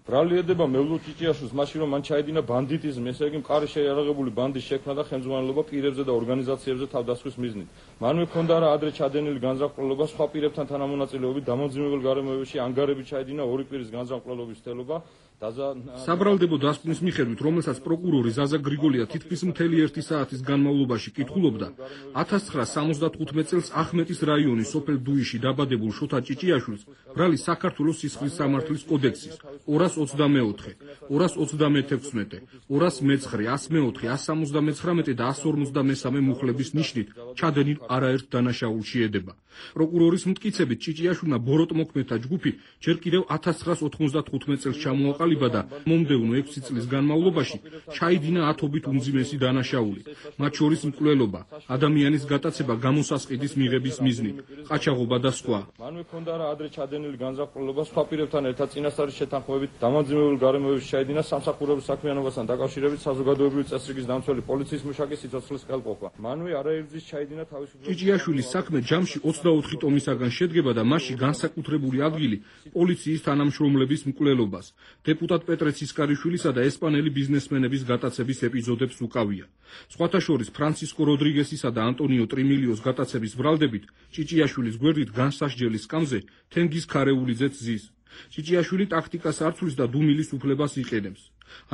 ბრალიერდება მევლუდ ჭიჭიაშვილს მაშინ რომ მან ჩაედინა ბანდიტიზმი, ესე იგი მყარი შეიარაღებული ბანდის შექმნა და ხელმძღვანელობა პირებზე და ორგანიზაციებზე თავდასხმის მიზნით. მანვე ჰქონდა რა ადრე ჩადენილი განზრახყლობა სხვა პირებთან თანამონაწილეობით დამოძიმებელ გარემოებაში ანგარები ჩაედინა ორი პირის განზრახყლობის თელობა. საბრალდებო დასკვნის მიხედვით, რომელსაც პროკურორი ზაზა გრიგოლია თითქმის მთელი 1 საათის განმავლობაში კითხულობდა, 1975 წელს ახმეტის რაიონის სოფელ დუიში დაბადებულ შოთა ჭიჭიაშვილს ბრალი საქართველოს სისხლის სამართლის კოდექსის 224, 236, 209, 104, 179 და 153 მუხლების ნიშნით ჩადენილ არაერთ დანაშაულში ედება. პროკურორის მტკიცებით ჭიჭიაშვილმა ბოროტმოქმედთა ჯგუფი ჯერ კიდევ 1995 წელს ჩამოაყალიბა და მომდევნო 6 წლის განმავლობაში ჩაიდინა ათობით უმძიმესი დანაშაული, მათ შორის მკვლელობა, ადამიანის გატაცება გამოსასყიდის მიღების მიზნით, ყაჩაღობა და სხვა. მანვე ჰქონდა რა ადრე ჩადენილი განზრახყლობა სხვა პირებთან ერთად წინასწარის შეთანხმებით დამოძიმებელ გარემოებაში ჩაიდინა სამსახურების საქმიანობასთან დაკავშირებით საზოგადოებრივი წესრიგის დამცველი პოლიციის მუშაკის სიცოცხლის ხელყოფა. მანვე არაერთგზის ჩაიდინა თავისუფლების ჭიჭიაშვილის საქმე ჯამში 24 ტომისაგან შედგება და მასში განსაკუთრებული ადგილი პოლიციის თანამშრომლების მკვლელობას, დეპუტატ პეტრე ცისკარიშვილისა და ესპანელი ბიზნესმენების გატაცების ეპიზოდებს უკავია. სხვათა შორის ფრანსისკო როდრიგესისა და ანტონიო ტრიმილიოს გატაცების ბრალდებით ჭიჭიაშვილის გვერდით განსასჯელის სკამზე თენგიზ ქარეულიძეც ზის. ჭიჭიაშვილი ტაქტიკას არცვლის და დუმილის უფლებას იყენებს.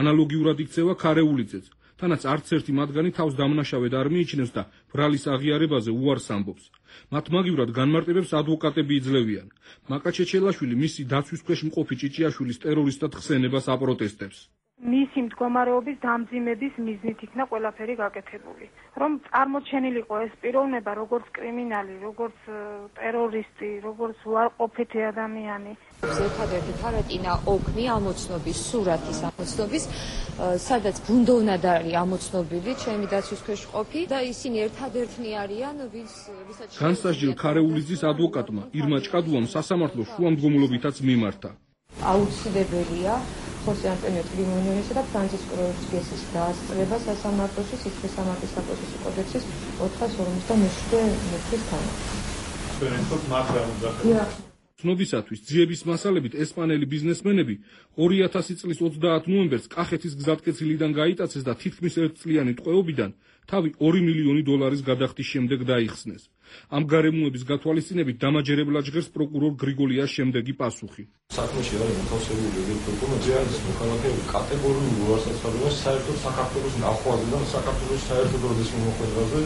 ანალოგიურად იქცევა ქარეულიძეც, თანაც არც ერთი მათგანი თავს დამნაშავედ არ მიიჩნევს და ბრალის აღიარებაზე უარს ამბობს. მათ მაგივრად განმარტებებს ადვოკატები იძლევიან. მაკა ჩეჩელაშვილი მისი დაცვის ქვეშ მყოფი ჭიჭიაშვილის ტერორისტად ხსენებას აპროტესტებს. მისი მდგომარეობის დამძიმების მიზნით იქნა ყველაფერი გაკეთებული. რომ წარმოჩენილიყო ეს პიროვნება როგორც კრიმინალი, როგორც ტერორისტი, როგორც უარყოფითი ადამიანი. ერთადერთი თარატინა ოკნი ამოცნობის, სურათის ამოცნობის, სადაც ბუნდოვნად არის ამოცნობილი ჩემი დაცვის ქვეშ ყოფი და ისინი ერთადერთნი არიან, ვისაც განსასჯელ ქარეულიძის ადვოკატმა ირმა ჭკადუამ სასამართლოს შუამდგომლობითაც მიმართა. აუცილებელია ხოსე ანტონიო ტრიმილიონისა და ფრანცისკო როდრიგესის დაასწრება სასამართლოში სისხლის სამართლის საპროცესო კოდექსის 457 წლის თანახმად. ცნობისათვის ძიების მასალებით ესპანელი ბიზნესმენები 2000 წლის 30 ნოემბერს კახეთის გზატკეცილიდან გაიტაცეს და თითქმის 1 წლიანი ტყვეობიდან თავი 2 მილიონი დოლარის გადახდის შემდეგ დაიხსნეს. ამ გარემოების გათვალისწინებით დამაჯერებლად ჟღერს პროკურორ გრიგოლიას შემდეგი პასუხი. საქმეში არის მოთავსებული დოკუმენტი, არის მოქალაქეების კატეგორიულ უარსაცნობებას საერთოდ საქართველოს ნახვაზე და საქართველოს საერთოდ როდის მოხვედრაზე.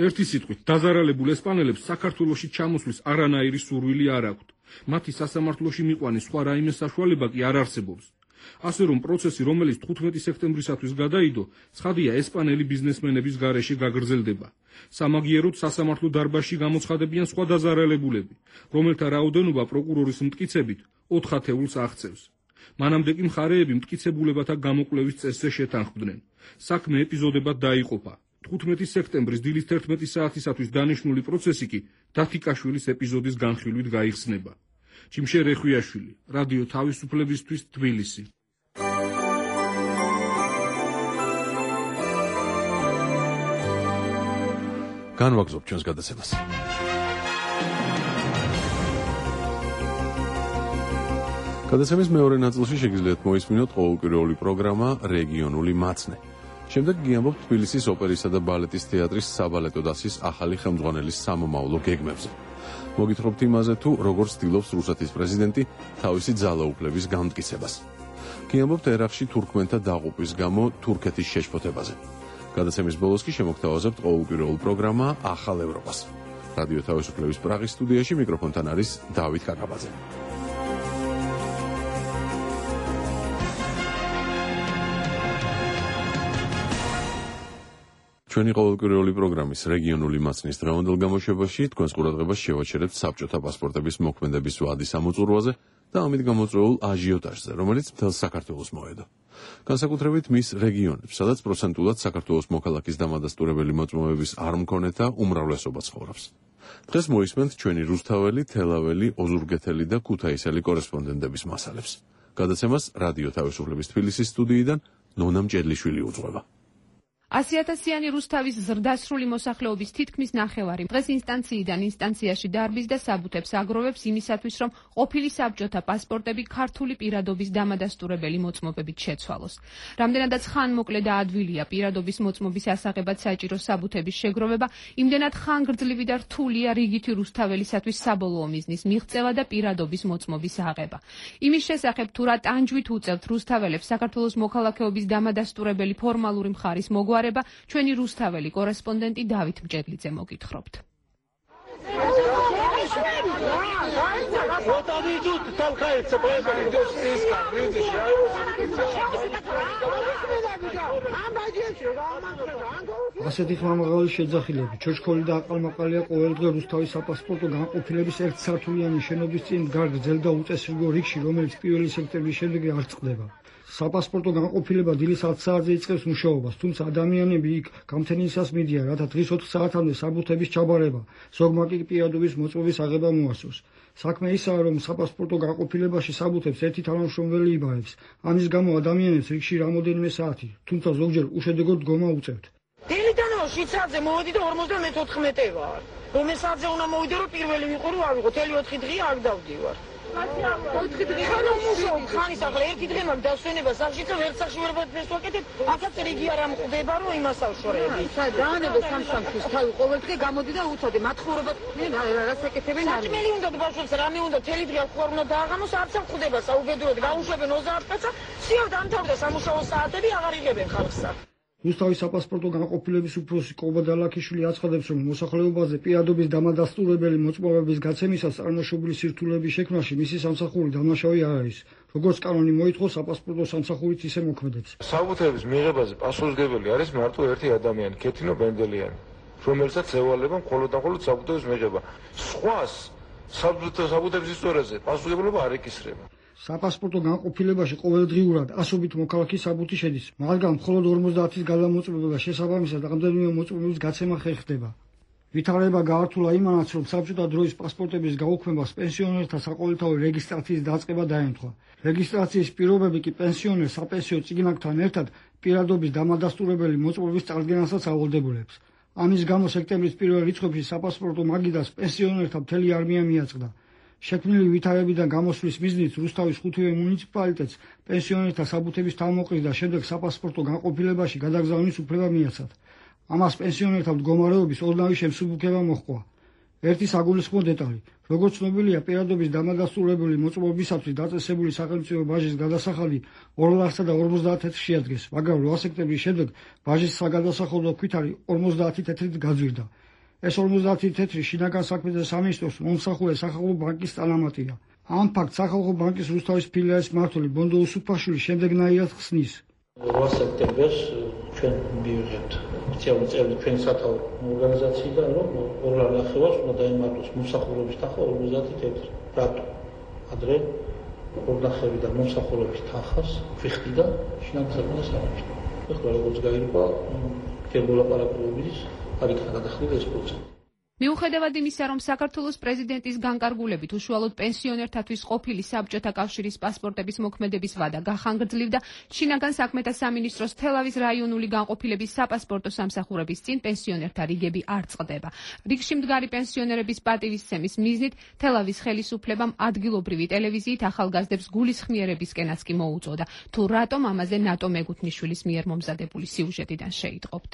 ერთი სიტყვით, დაზარალებულ ესპანელებს საქართველოში ჩამოსვლის არანაირი სურვილი არ აქვთ. მათი სასამართლოში მიყვანის სხვა რაიმე საშუალება კი არ არსებობს. ასე რომ პროცესი, რომელიც 15 სექტემბრისათვის გადაიდო, ცხადია ესპანელი ბიზნესმენების გარეშე გაგრძელდება. სამაგიეროდ სასამართლო დარბაზში გამოცხადებიან სხვა დაზარალებულები, რომელთა რაოდენობა პროკურორის მტკიცებით 4 ათეულს აღწევს. მანამდე კი მხარეები მტკიცებულებათა გამოკვლევის წესზე შეთანხმდნენ. საქმე ეპიზოდებად დაიყოფა. 15 სექტემბრის დილის 11 საათისათვის დანიშნული პროცესი კი დათიკაშვილის ეპიზოდის განხილვით გაიხსნება. ჯიმშე რეხვიაშვილი, რადიო თავისუფლებისთვის, თბილისი. განვაგრძობ ჩვენს გადაცემას. გადაცემის მეორე ნაწილში შეგიძლიათ მოისმინოთ ყოველკვირეული პროგრამა რეგიონული მაცნე. შემდეგ გიამბობთ თბილისის ოპერისა და ბალეტის თეატრის საბალეტო დასის ახალი ხელმძღვანელის სამომავლო გეგმებზე. მოგითხრობთ იმაზე, თუ როგორ ცდილობს რუსეთის პრეზიდენტი თავისი ძალაუფლების განმტკიცებას. გიამბობთ ერაყში თურქმენთა დაყუპვის გამო თურქეთის შეშფოთებაზე. გადაცემის ბოლოს კი შემოგთავაზებთ ყოველკვირეულ პროგრამა ახალ ევროპას. რადიო თავისუფლების პრაღის სტუდიაში მიკროფონთან არის დავით კაკაბაძე. ჩვენი ყოველკვირეული პროგრამის რეგიონული მაცნის დღევანდელ გამოშვებაში თქვენს ყურადღებას შევაჩერებთ საბჭოთა პასპორტების მოქმედების ვადის ამოწურვაზე და ამით გამოწვეულ აჟიოტაჟზე, რომელიც მთელ საქართველოს მოედო. განსაკუთრებით მის რეგიონებს, სადაც პროცენტულად საქართველოს მოქალაქის დამადასტურებელი მოწმობების არ მქონეთა უმრავლესობა ცხოვრობს. დღეს მოისმენთ ჩვენი რუსთაველი, თელაველი, ოზურგეთელი და ქუთაისელი კორესპონდენტების მასალებს. გადაცემას რადიო თავისუფლების თბილისის სტუდიიდან ნონა მჭედლიშვილი უძღვება. 100,000-იანი რუსთავის ზრდასრული მოსახლეობის თითქმის ნახევარი დღეს ინსტანციიდან ინსტანციაში დარბის და საბუთებს აგროვებს იმისათვის, რომ ყოფილი საბჭოთა პასპორტები ქართული პირადობის დამადასტურებელი მოწმობებით შეცვალოს. რამდენადაც ხანმოკლე და ადვილია პირადობის მოწმობის ასაღებად საჭირო საბუთების შეგროვება, იმდენად ხანგრძლივი და რთულია რიგითი რუსთაველისათვის საბოლოო მიზნის მიღწევა და პირადობის მოწმობის აღება. იმის შესახებ, თუ რა ტანჯვით უწევთ რუსთაველებს საქართველოს მოქალაქეობის დამადასტურებელი ფორმალური მხარის ჩვენი რუსთაველი კორესპონდენტი დავით მჭედლიძე მოგითხრობთ. ასეთი ხმამაღალი შეძახილები, ჩოჩქოლი და აყალმაყალია ყოველდღე რუსთავის საპასპორტო განყოფილების ერთსართულიანი შენობის წინ დგარ გრძელ და უწესრიგო რიგში, რომელიც 1 სექტემბრის შემდეგ არ წყდება. საპასპორტო განყოფილება დილის 10 საათზე იწყებს მუშაობას, თუმცა ადამიანები იქ გამთენისას მიდიან, რათა დღის 4 საათამდე საბუთების ჩაბარება, ზოგმა კი პირადობის მოწმობის აღება მოასწროს. საქმე ისაა, რომ საპასპორტო განყოფილებაში საბუთებს ერთი თანამშრომელი იბარებს. ამის გამო ადამიანებს რიგში რამოდენიმე საათი, თუმცა ზოგჯერ უშედეგოდ დგომა უწევთ. დილიდანო 7 საათზე მოვედი და 54 ვარ. რომელ საათზე უნდა მოვიდე, რომ პირველი ვიყო, რომ ავიღო, თელი 4 დღე არ დავდივარ. 4 დღე ხანის ახლა ერთი დღე მაგ დასვენება სახში და ვერ სახში ვერ ვაკეთებ, აქაც რიგი არ ამყდება, რომ იმას ავშორები. დაანებო სამშაბათს თავი ყოველ დღე გამოდი და უწოდე მათხოვრებად რას ეკეთებენ არის. საჭმელი უნდა ბავშვებს რამე უნდა თელი დღე ხوار უნდა დააღამოს, არც ამ ხდება საუბედუროდ გაუშვებენ 30 კაცს, სიო დამთავრდა სამუშაო საათები აღარ იღებენ ხალხსა. რუსთავის საპასპორტო განყოფილების უფროსი კობა დალაქიშვილი აცხადებს, რომ მოსახლეობაზე პირადობის დამადასტურებელი მოწმობების გაცემისას წარმოშობილი სირთულეების შექმნაში მისი სამსახური დამნაშავე არ არის. როგორც კანონი მოითხოვს, საპასპორტო სამსახურით ისე მოქმედებს. საბუთების მიღებაზე პასუხისმგებელი არის მარტო ერთი ადამიანი, ქეთინო ბენდელიანი, რომელსაც ევალება მხოლოდ და მხოლოდ საბუთების მიღება. სხვას საბუთების ისტორიაზე პასუხისმგებლობა არ ეკისრება. საპასპორტო განყოფილებაში ყოველდღიურად ასობით მოქალაქის საბუთი შედის, მაგრამ მხოლოდ 50-ის გადამოწმება შესაბამისად რამდენიმე მოწმობის გაცემა ხერხდება. ვითარება გაართულა იმანაც, რომ საბჭოთა დროის პასპორტების გაუქმებას პენსიონერთა საყოველთაო რეგისტრაციის დაწყება დაემთხვა. რეგისტრაციის პირობები კი პენსიონერს საპენსიო წიგნაკთან ერთად პირადობის დამადასტურებელი მოწმობის წარდგენასაც ავალდებულებს. ამის გამო სექტემბრის პირველ რიცხვებში საპასპორტო მაგიდას პენსიონერთა მთელი არმია მიაწყდა. შექმნილი ვითარებიდან გამოსვლის მიზნით რუსთავის 5-ვე მუნიციპალიტეტს პენსიონერთა საბუთების თავმოყრის და შემდეგ საპასპორტო განყოფილებაში გადაგზავნის უფლება მიაცათ. ამას პენსიონერთა მდგომარეობის ოდნავი შემსუბუქება მოჰყვა. ერთი საგულისხმო დეტალი. როგორც ცნობილია, პირადობის დამადასტურებელი მოწმობისათვის დაწესებული სახელმწიფო ბაჟის გადასახადი 250 თეთრში ადგეს, მაგრამ 8 სექტემბრის შემდეგ ბაჟის საგადასახადო ქვითარი 50 თეთრით გაძვირდა. ეს 50 თეთრი შინაგან საქმეთა სამინისტროს მომსახურე სახალხო ბანკის სტანამატია. ამ ფაქტს სახალხო ბანკის რუსთავის ფილიალის მმართველი ბონდო უსუფაშვილი შემდეგნაირად ხსნის. 8 სექტემბერს ჩვენ მივიღებთ ოფიციალური წევრი ჩვენი სათავო ორგანიზაციიდან, რომ 2.5-ს უნდა დაემართოს მომსახურების თანხა 50 თეთრი. რატო? ადრე 2.5-დან მომსახურების თანხას ვიხდიდა შინაგან საქმეთა სამინისტრო. ეხლა როგორც გაირკვა, კერბოლა პარაკულობის არიქნა გადახდიდა ეს პროცესი. მიუხედავად იმისა, რომ საქართველოს პრეზიდენტის განკარგულებით უშუალოდ პენსიონერთათვის ყოფილი საბჭოთა კავშირის პასპორტების მოქმედების ვადა გახანგრძლივდა, შინაგან საქმეთა სამინისტროს თელავის რაიონული განყოფილების საპასპორტო სამსახურების წინ პენსიონერთა რიგები არ წყდება. რიგში მდგარი პენსიონერების პატივისცემის მიზნით თელავის ხელისუფლებამ ადგილობრივი ტელევიზიით ახალგაზრდებს გულისხმიერებისკენაც კი მოუწოდა. თუ რატომ ამაზე ნატო მეგუთნიშვილის მიერ მომზადებული სიუჟეტიდან შეიტყობთ.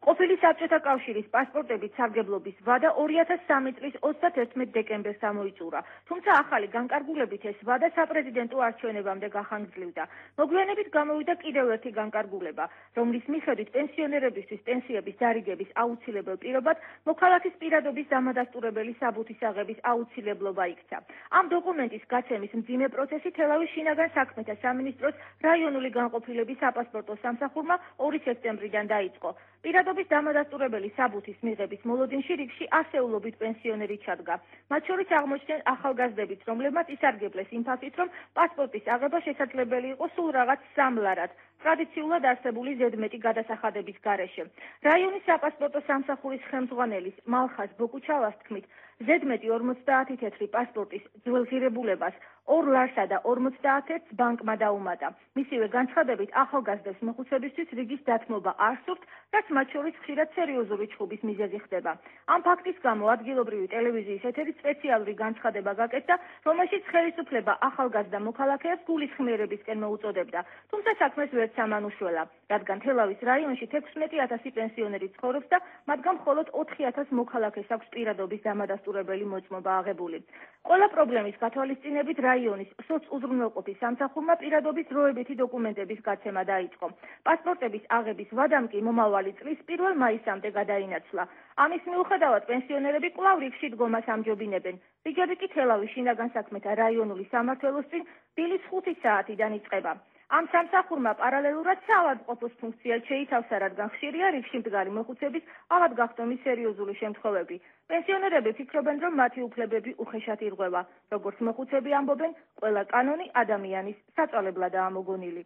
ყოფილი საბჭოთა კავშირის პასპორტების სარგებლობის ვადა 2003 წლის 31 დეკემბერს ამოიწურა, თუმცა ახალი განკარგულებით ეს ვადა საპრეზიდენტო არჩევნებამდე გახანგრძლივდა. მოგვიანებით გამოვიდა კიდევ ერთი განკარგულება, რომლის მიხედვით პენსიონერებისთვის პენსიების დარიგების აუცილებელ პირობად მოქალაქის პირადობის დამადასტურებელი საბუთის აღების აუცილებლობა იქცა. ამ დოკუმენტის გაცემის მძიმე პროცესი თელავის შინაგან საქმეთა სამინისტროს რაიონული განყოფილების საპასპორტო სამსახურმა 2 სექტემბრიდან დაიწყო. პირადობის დამადასტურებელი საბუთის მიღების მოლოდინში რიგში ასეულობით პენსიონერი ჩადგა. მათ შორის აღმოჩნდნენ ახალგაზრდებიც, რომლებმაც ისარგებლეს იმ ფაქტით, რომ პასპორტის აღება შესაძლებელი იყო სულ რაღაც სამლარად, ტრადიციულად არსებული ზედმეტი გადასახადების გარეშე. რაიონის საპასპორტო სამსახურის ხელმძღვანელის მალხაზ ბოკუჩავას თქმით, ზედმეტი 50 თეთრი პასპორტის ძველზირებულებას 2 ლარსა და 51 ბანკმა დაუმატა. მისივე განცხადებით ახალგაზრდებს მოხუცებისთვის რიგის დათმობა არ სურთ, რაც მათ შორის ხშირად სერიოზული ჩხუბის მიზეზი ხდება. ამ ფაქტის გამო ადგილობრივი ტელევიზიის ეთერით სპეციალური განცხადება გაკეთდა, რომელშიც ხელისუფლება ახალგაზრდა მოქალაქეებს გულისხმიერებისკენ მოუწოდებდა. თუმცა საქმეს ვერც ამანუშველა, რადგან თელავის რაიონში 16,000 პენსიონერი ცხოვრობს და მათგან მხოლოდ 4,000 მოქალაქეს აქვს პირადობის დამადასტურებელი მოწმობა აღებული. ყველა პრობლემის გათვალისწინებით რაიონის სოცუზრუნველყოფის სამსახურმა პირადობის დროებითი დოკუმენტების გაცემა დაიწყო. პასპორტების აღების ვადამ კი მომავალი წლის 1 მაისამდე გადაინაცვლა. ამის მიუხედავად პენსიონერები კვლავ რიგში დგომას ამჯობინებენ. რიგები კი თელავის შინაგან საქმეთა რაიონული სამმართველოს წინ დილის 5 საათიდან იწყება. ამ სამსახურმა პარალელურად საავადმყოფოს ფუნქციას შეითავსა, რადგან ხშირია რიგში მდგარი მოხუცების ავადგახდომის სერიოზული შემთხვევები. პენსიონერები ფიქრობენ, რომ მათი უფლებები უხეშად ირღვევა. როგორც მოხუცები ამბობენ, ყველა კანონი ადამიანის საწვალებლადაა მოგონილი.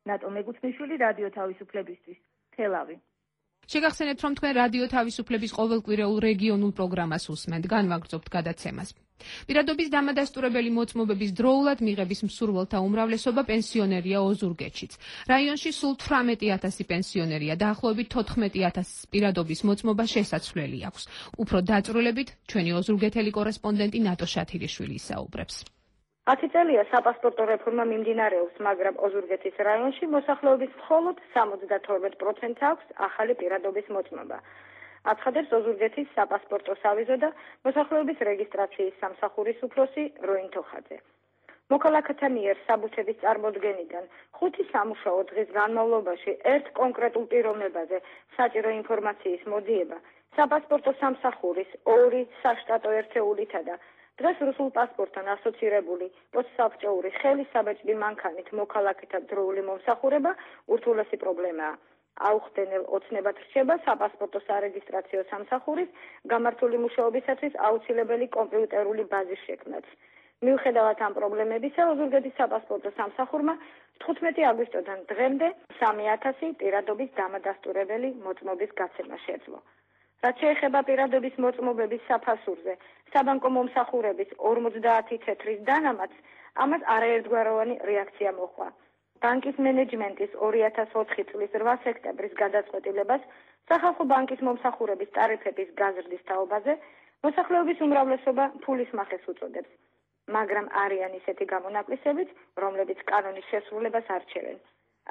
ნატო მეგუთნიშვილი რადიო თავისუფლებისთვის, თელავი. შეგახსენებთ, რომ თქვენ რადიო თავისუფლების ყოველკვირეულ რეგიონულ პროგრამას უსმენთ, განვაგრძობთ გადაცემას. პირადობის დამადასტურებელი მოწმობების დროულად მიღების მსურველთა უმრავლესობა პენსიონერია ოზურგეთშიც. რაიონში სულ 18,000 პენსიონერია, დაახლოებით 14,000 პირადობის მოწმობა შესაძლებელი აქვს. უფრო დაწვრილებით ჩვენი ოზურგეთელი კორესპონდენტი ნატო შათირიშვილი ისაუბრებს. 10 წელია საპასპორტო რეფორმა მიმდინარეობს, მაგრამ ოზურგეთის რაიონში მოსახლეობის მხოლოდ 72% აქვს ახალი პირადობის მოწმობა. აცხადებს ოზურგეთის საპასპორტო სავიზო და მოსახლეობის რეგისტრაციის სამსახურის უფროსი როინ თოხაძე. მოქალაქეთა მიერ საბუთების წარმოდგენიდან 5 სამუშაო დღის განმავლობაში ერთ კონკრეტულ პიროვნებაზე საჭირო ინფორმაციის მოძიება საპასპორტო სამსახურის 2 საშტატო ერთეულითა და დღეს რუსულ პასპორტთან ასოცირებული პოსტსაბჭოური ხელის საბეჭდი მანქანით მოქალაქეთა დროული მომსახურება ურთულესი პრობლემაა. აუხსნელ ოცნებად რჩება საპასპორტო სარეგისტრაციო სამსახურის გამართული მუშაობისათვის აუცილებელი კომპიუტერული ბაზის შექმნაც. მიუხედავად ამ პრობლემებისა, ოზურგეთის საპასპორტო სამსახურმა 15 აგვისტოდან დღემდე 3,000 პირადობის დამადასტურებელი მოწმობის გაცემა შეძლო. რაც შეეხება პირადობის მოწმობების საფასურზე, საბანკო მომსახურების 50 თეთრის დანამატს, ამას არაერთგვაროვანი რეაქცია მოჰყვა. ბანკის მენეჯმენტის 2004 წლის 8 სექტემბრის გადაწყვეტილებას სახალხო ბანკის მომსახურების ტარიფების გაზრდის თაობაზე მოსახლეობის უმრავლესობა ფულის მახეს უწოდებს, მაგრამ არიან ისეთი გამონაკლისებიც, რომლებიც კანონის შესრულებას არჩევენ.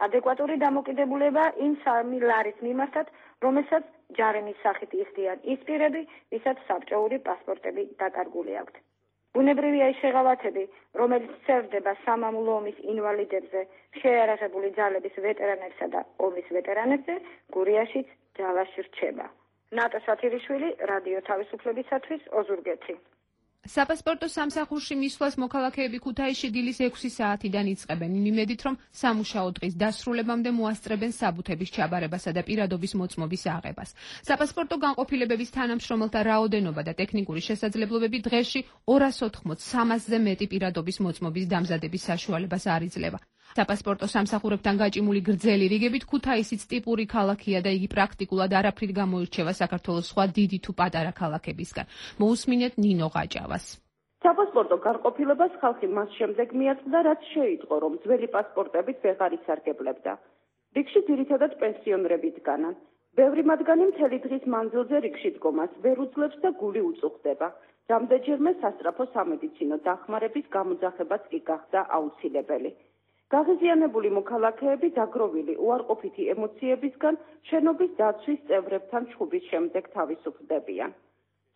ადეკვატური დამოკიდებულება იმ 3 ლარის მიმართად, რომელსაც ჯარემის სახით იხდიან ის პირები, ვისაც საბჭოური პასპორტები დაკარგული აქვთ. ბუნებრივია ის შეღავათები, რომელიც სერდება სამამულო ომის ინვალიდებზე, შეიარაღებული ძალების ვეტერანებსა და ომის ვეტერანებზე, გურიაშიც ჯავაში რჩება. ნატო შათირიშვილი, რადიო თავისუფლებისათვის, ოზურგეთი. საპასპორტო სამსახურში მისვლას მოქალაქეები ქუთაისში დილის 6 საათიდან იწყებენ, იმ იმედით, რომ სამუშაო დღის დასრულებამდე მოასწრებენ საბუთების ჩაბარებასა და პირადობის მოწმობის აღებას. საპასპორტო განყოფილებების თანამშრომელთა რაოდენობა და ტექნიკური შესაძლებლობები დღეში 280-300-ზე მეტი პირადობის მოწმობის დამზადების საშუალებას არ იძლევა. საპასპორტო სამსახურებთან გაჭიმული გრძელი რიგებით ქუთაისიც ტიპური ქალაქია და იგი პრაქტიკულად არაფრით გამოირჩევა საქართველოს სხვა დიდი თუ პატარა ქალაქებისგან. მოусმინეთ ნინო ღაჭავას. საპასპორტო განყოფილებას ხალხი მას შემდეგ მიაწყდა, რაც შეიტყო, რომ ძველი პასპორტებით ვეღარ ისარგებლებდა. რიგში ძირითადად პენსიონერები დგანან. ბევრი მათგანი მთელი დღის მანძილზე რიგში დგომას ვერ უძლებს და გული უწუხდება. რამდენჯერმე სასწრაფო სამედიცინო დახმარების გამოძახებაც კი გახდა აუცილებელი. გაღიზიანებული მოქალაქეები დაგროვილი უარყოფითი ემოციებისგან შენობის დაცვის წევრებთან ჩხუბის შემდეგ თავისუფლდებიან.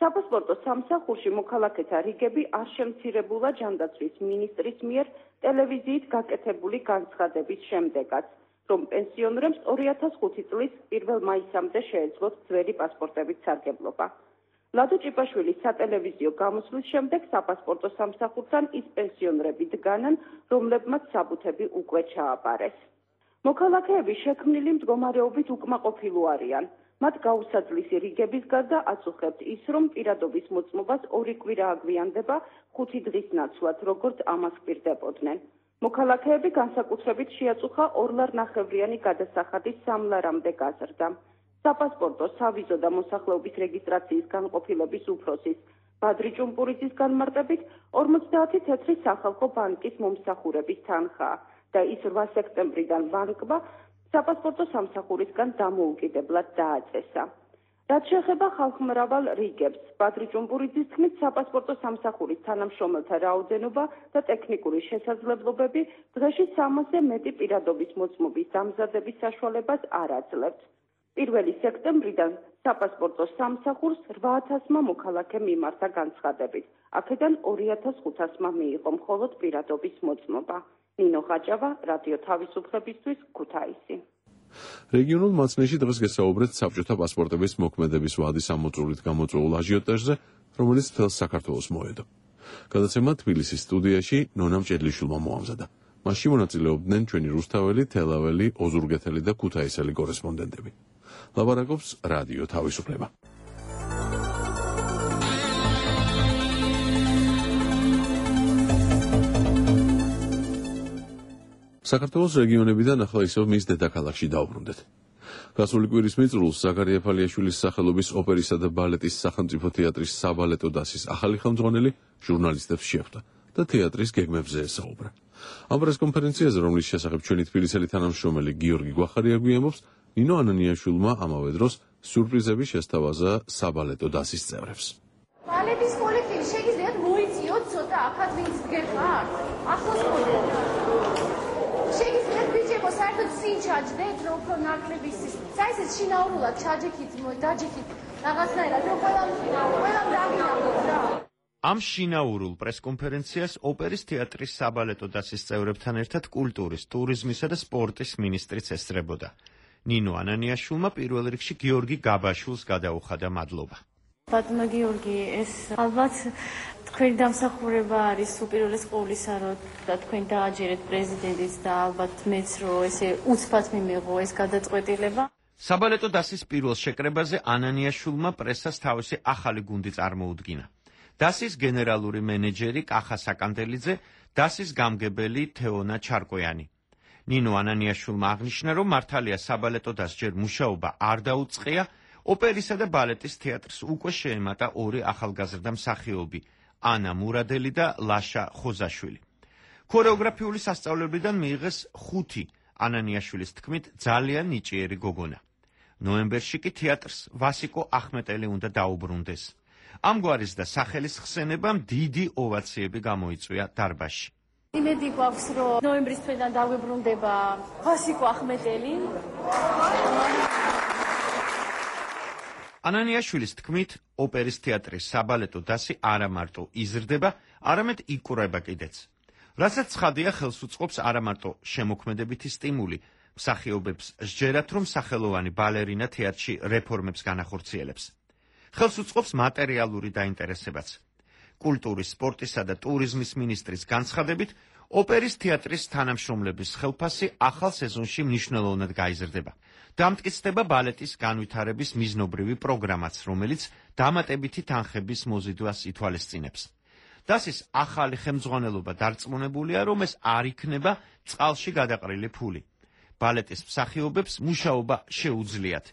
საპასპორტო სამსახურში მოქალაქეთა რიგები არ შემცირებულა ჯანდაცვის მინისტრის მიერ ტელევიზიით გაკეთებული განცხადების შემდეგაც, რომ პენსიონერებს 2005 წლის 1 მაისამდე შეეძლოთ ძველი პასპორტებით სარგებლობა. ლადო ჭიპაშვილის სატელევიზიო გამოსვლის შემდეგ საპასპორტო სამსახურთან ის პენსიონერები დგანან, რომლებმაც საბუთები უკვე ჩააბარეს. მოქალაქეები შექმნილი მდგომარეობით უკმაყოფილო არიან. მათ გაუსაძლისი რიგების გარდა აწუხებთ ის, რომ პირადობის მოწმობას 2 კვირა აგვიანდება 5 დღის ნაცვლად, როგორც ამას პირდებოდნენ. მოქალაქეები განსაკუთრებით შეაწუხა 2,5-ლარიანი გადასახადის 3 ლარამდე გაზრდა. საპასპორტო, სავიზო და მოსახლეობის რეგისტრაციის განყოფილების უფროსის ბადრი ჭუმპურიძის განმარტებით 50 თეთრი სახალხო ბანკის მომსახურების თანხაა და ის 8 სექტემბრიდან ბანკმა საპასპორტო სამსახურისგან დამოუკიდებლად დააწესა. რაც შეეხება ხალხმრავალ რიგებს, ბადრი ჭუმპურიძის თქმით, საპასპორტო სამსახურის თანამშრომელთა რაოდენობა და ტექნიკური შესაძლებლობები დღეში 300-ზე მეტი პირადობის მოწმობის დამზადების საშუალებას არ აძლევთ. 1 სექტემბრიდან საპასპორტო სამსახურს 8,000-მა მოქალაქე მიმართა განცხადებით. აქედან 2,500-მა მიიღო მხოლოდ პირადობის მოწმობა. ნინო ღაჭავა, რადიო თავისუფლებისთვის, ქუთაისი. რეგიონულ მაცნეში დღეს გესაუბრეთ საბჭოთა პასპორტების მოქმედების ვადის ამოწურვით გამოწვეულ აჟიოტაჟზე, რომელიც მთელ საქართველოს მოედო. გადაცემა თბილისის სტუდიაში ნონა მჭედლიშვილმა მოამზადა. მასში მონაწილეობდნენ ჩვენი რუსთაველი, თელაველი, ოზურგეთელი და ქუთაისელი კორესპონდენტები. ლაბარაკობს რადიო თავისუფლება. საქართველოს რეგიონებიდან ახლა ისევ მის დედაქალაქში დავბრუნდეთ. გასული კვირის მიწურულს ზაქარია ფალიაშვილის სახელობის ოპერისა და ბალეტის სახელმწიფო თეატრის საბალეტო დასის ახალი ხელმძღვანელი ჟურნალისტებს შეხვდა და თეატრის გეგმებზე ესაუბრა. ამ პრესკონფერენციაზე, რომლის შესახებ ჩვენი თბილისელი თანამშრომელი გიორგი გვახარია გვიამბობს, ნინო ანანიაშვილმა ამავე დროს სიურპრიზები შესთავაზა საბალეტო დასის წევრებს. ბალეტის კოლექტივი შეგიძლიათ მოიწიოთ ცოტა აქად ვინც გეყართ? ახლოს მოდით. შეგიძლიათ ბიჭებო საერთოდ წინ ჩაჯდეთ, რომ უფრო ნაკლები ის. საერთოდ შინაურულად ჩაჯექით, დაჯექით რაღაცნაირად, რომ ყველამ დაგინახოთ რა. ამ შინაურულ პრესკონფერენციას ოპერის თეატრის საბალეტო დასის წევრებთან ერთად კულტურის, ტურიზმისა და სპორტის მინისტრიც ესწრებოდა. ნინო ანანიაშვილმა პირველ რიგში გიორგი გაბაშვილს გადაუხადა მადლობა. ბატონო გიორგი, ეს ალბათ თქვენი დამსახურება არის უპირველეს ყოვლისა, რომ თქვენ დააჯერეთ პრეზიდენტის და ალბათ მეც რომ ესე უცბად მიმეღო ეს გადაწყვეტილება. საბალეტო დასის პირველ შეკრებაზე ანანიაშვილმა პრესას თავისი ახალი გუნდი წარმოუდგინა. დასის გენერალური მენეჯერი კახა საკანდელიძე, დასის გამგებელი თეონა ჩარკვიანი. ნინო ანანიაშვილმა აღნიშნა, რომ მართალია საბალეტო დასს ჯერ მუშაობა არ დაუწყია, ოპერისა და ბალეტის თეატრს უკვე შეემატა 2 ახალგაზრდა მსახიობი, ანა მურადელი და ლაშა ხოზაშვილი. ქორეოგრაფიული სასწავლებლიდან მიიღეს 5 ანანიაშვილის თქმით ძალიან ნიჭიერი გოგონა. ნოემბერში კი თეატრს ვასიკო ახმეტელი უნდა დაუბრუნდეს. ამგვარის და სახელის ხსენებამ დიდი ოვაციები გამოიწვია დარბაზში. იმედი გვაქვს, რომ ნოემბრის თვედან დაგვიბრუნდება ვასიკო ახმეტელი. ანანიაშვილის თქმით, ოპერის თეატრის საბალეტო დასი არა მარტო იზრდება, არამედ იკვრება კიდეც. რასაც ცხადია, ხელს უწყობს არა მარტო შემოქმედებითი სტიმული, მსახიობებს სჯერათ, რომ სახელოვანი ბალერინა თეატრში რეფორმებს განახორციელებს. ხელს უწყობს მატერიალური დაინტერესებაც. კულტურის, სპორტისა და ტურიზმის მინისტრის განცხადებით, ოპერის თეატრის თანამშრომლების ხელფასი ახალ სეზონში მნიშვნელოვნად გაიზრდება. დამტკიცდება ბალეტის განვითარების მიზნობრივი პროგრამაც, რომელიც დამატებითი თანხების მოზიდვას ითვალისწინებს. დასის ახალი ხელმძღვანელობა დარწმუნებულია, რომ ეს არ იქნება წყალში გადაყრილი ფული. ბალეტის მსახიობებს მუშაობა შეუძლიათ.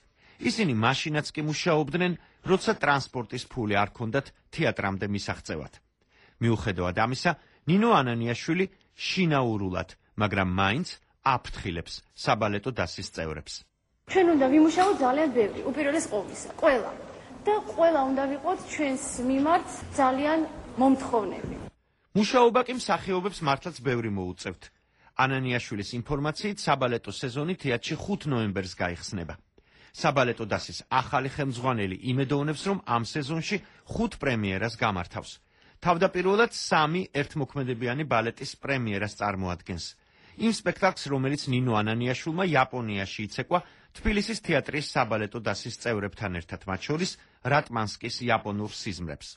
ისინი მაშინაც კი მუშაობდნენ, როცა ტრანსპორტის ფული არ ქონდათ თეატრამდე მისაღწევად. მიუხედავად ამისა, ნინო ანანიაშვილი შინაურულად, მაგრამ მაინც აფრთხილებს საბალეტო დასის წევრებს. ჩვენ უნდა ვიმუშაოთ ძალიან ბევრი, უპირველეს ყოვლისა, ყველა. და ყველა უნდა ვიყოთ ჩვენს მიმართ ძალიან მომთხოვნები. მუშაობა კი მსახიობებს მართლაც ბევრი მოუწევთ. ანანიაშვილის ინფორმაციით, საბალეტო სეზონი თეატრში 5 ნოემბერს გაიხსნება. საბალეტო დასის ახალი ხელმძღვანელი იმედოვნებს, რომ ამ სეზონში 5 პრემიერას გამართავს. თავდაპირველად 3 ერთმოქმედებიანი ბალეტის პრემიერას წარმოადგენს. იმ სპექტაკლს, რომელიც ნინო ანანიაშვილმა იაპონიაში იცეკვა თბილისის თეატრის საბალეტო დასის წევრებთან ერთად, მათ შორის რატმანსკის იაპონურ სიზმრებს.